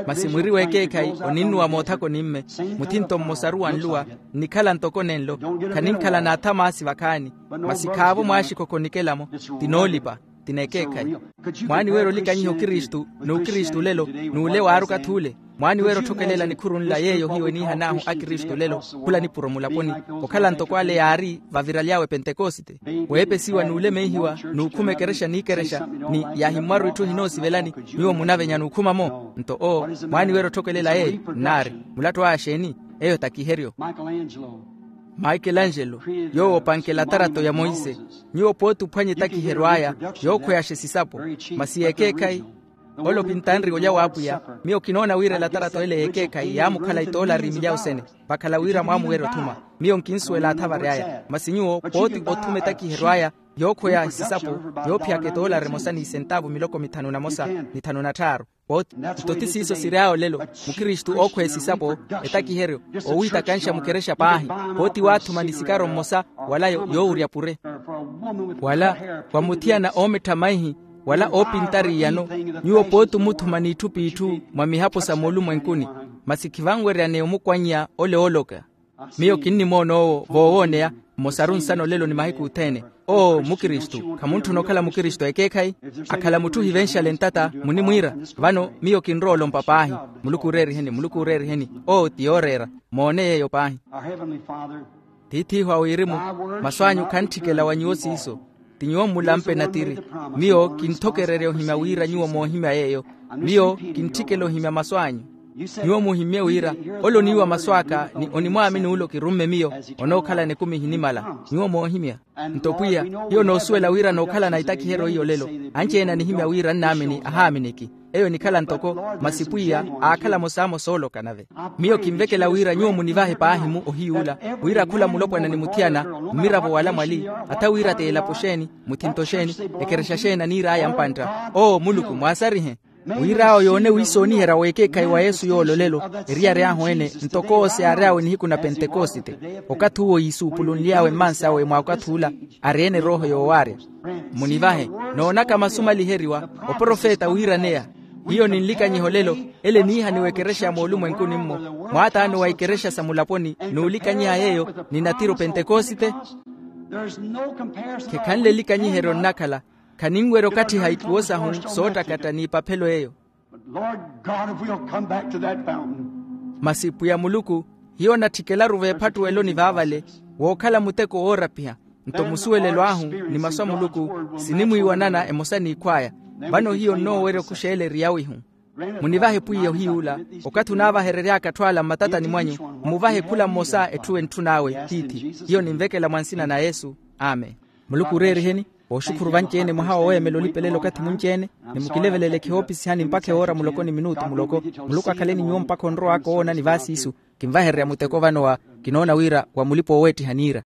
Masi mwiri w'ekeekhayi oninnuwa moothakoni-mme. Muthinto mmosaru wa nluwa, nnikhala ntoko nenlo. Khaninkhala n'athamaasi vakhaani. Masi khaavo mwaaxikhokho onikela-mo. Ti noolipa, ti n'ekeekhayi. Mwaaniwerya olikanyiha okristu n'ukristu olelo, n'ule waari okathi ule? Mwaaniwerya otthokelela nikhuru nla yeeyo hiyo eniihan'ahu akristu olelo, khula nipuro mulaponi, okhala ntoko ale yaari vaviraly'awe pentekosite. Weepesiwa n'ulemeihiwa, n'ukhuma ekerexa n'ikerexa, ni yahimmwaru itthu ehinoosivelani. Nyuwo munavenya n'ukhuma-mo? Nto oo, mwaaniwerya otthokelela yeeyo nnaari. Mulattu aya xeeni? Eyo takiheryo. Maikelangelo, yoowo opanke elatarato ya monse. Nyuwo pooti ophwanya etakiheryo aya yookhweyaxa esisapo. Masi yeekeekhayi. Ole opintanri olya w'apwiya. Miyo kinoona wira elatarato ele yeekeekhayi yaamukhala itoolari milyawo sene. Vakhala wira mwaamuwerya othuma. Miyo nkinsuwela athavari aya masi nyuwo pooti othuma etakiheryo aya yookhweya esisapo, yoophiyaka etoolari emosa n'isentaavu miloko mithanu na mosa ni thanu na tthaaru. Pooti nto ti siiso siry'aya olelo. Mukristu ookhweya esisapo, etakiheryo, owiitakanxa mukerexa paahi. Pooti waathuma ni sikaro mmosa wala yoowurya pure wala wa muthiyana oomettha maihi wala oopintari iyano. Nyuwo pooti omuthuma n'itthu p'itthu mwa mihapo sa moolumwenkuni. Masi khivanweryaneya omukwannya ole ooloka. Miyo kinnimoona owo voowooneya mmosaru nsana olelo ni mahiku othene. Oo mukristu khamuntthuna okhala mukristu ekeekhayi. Akhala mutthu ohivenxale ntata munimwiira. Vano miyo kinrowa olompa paahi. Muluku ooreeriheni muluku ooreeriheni. Oo ti yooreera. Moone yeeyo paahi. Tiith'ihu a wirimu, masu anyu khantthikela wa nyuwo siiso. Ti nyuwo mmulampe natiri. Miyo kinthokererya ohimya wira nyuwo moohimya yeeyo. Miyo kintthikela ohimya masu anyu. Nyuwo muhimmye wira ole oniiwa masu aka ni onimwaamini ole okirumme miyo, onookhalana ekumi ehinimala. Nyuwo moohimya. Nto pwiya, hiyo noosuwela wira nookhalana itakiheryo iyo olelo. Anci-ene anihimya wira nnaamini ahaaminiki. Eyo enikhala ntoko masi pwiya aakhala mosaamo sooloka nave. Miyo kinvekela wira nyuwo munivahe paahi-mu ohiy'ula, wira khula mulopwana ni muthiyana, mmiravo wala mwali, atha wira t'elapo xeeni, muthinto xeeni, ekerexa xeeni aniir'aya mpantta. Oo muluku mwaasarihe. Wir'awo yoone wiisooniherya w'ekeekhayi wa yesu yoololelo, eriyari ahu ene ntoko oose aary'awe nihiku na pentekosite. Okathi uwo yiisuupulunly'awe mmansi awe mwa okathi ula, ari-ene erooho yoowaarya. Munivahe, noonaka masu maliheriwa, oprofeta wiiraneya. Hiyo ninlikanyiha olelo, ele niihaniwa ekerexa ya moolumwenkuni-mmo, mwaataano wa ikerexa sa mulaponi, n'ulikanyiha yeeyo ni natiro pentekosite. Khekhanle elikanyiheryo nnakhala. Khaninwerya okatthiha ikuwo sahu soottakatta n'ipaphelo eyo. But Lord God, if we'll come back to that fountain. Masi pwiya muluku, hiyo natthikelaru veephattuweloni vaavale, wookhala muteko woorapiha. Nto musuwelelo ahu ni masu a muluku sinimwiiwanana emosa n'ikhw'aya. Vano hiyo nnoowerya okuxa ele eri yawihu. Munivahe pwiya ohiy'ula, okathi onaavaherery'aka atthu ala mmatatani mwanyu, mmuvahe khula mmosa etthu entthun'awe tiithi. Hiyo ninvekela mwa nsina na yesu. Amen. Muluku ooreeriheni. Ooxukhuru vanci-ene mwaha woweemela olipelela okathi munci-ene, ni mukilevelele khihoopisihani mpakha ewoora muloko ni minutu muloko. Muluku akhale ni nyuwo mpakha onrow'aka owoonani vaasiisu. Kinvahererya muteko vano wa, kinoona wira wa mulipa-ooweettiha niira.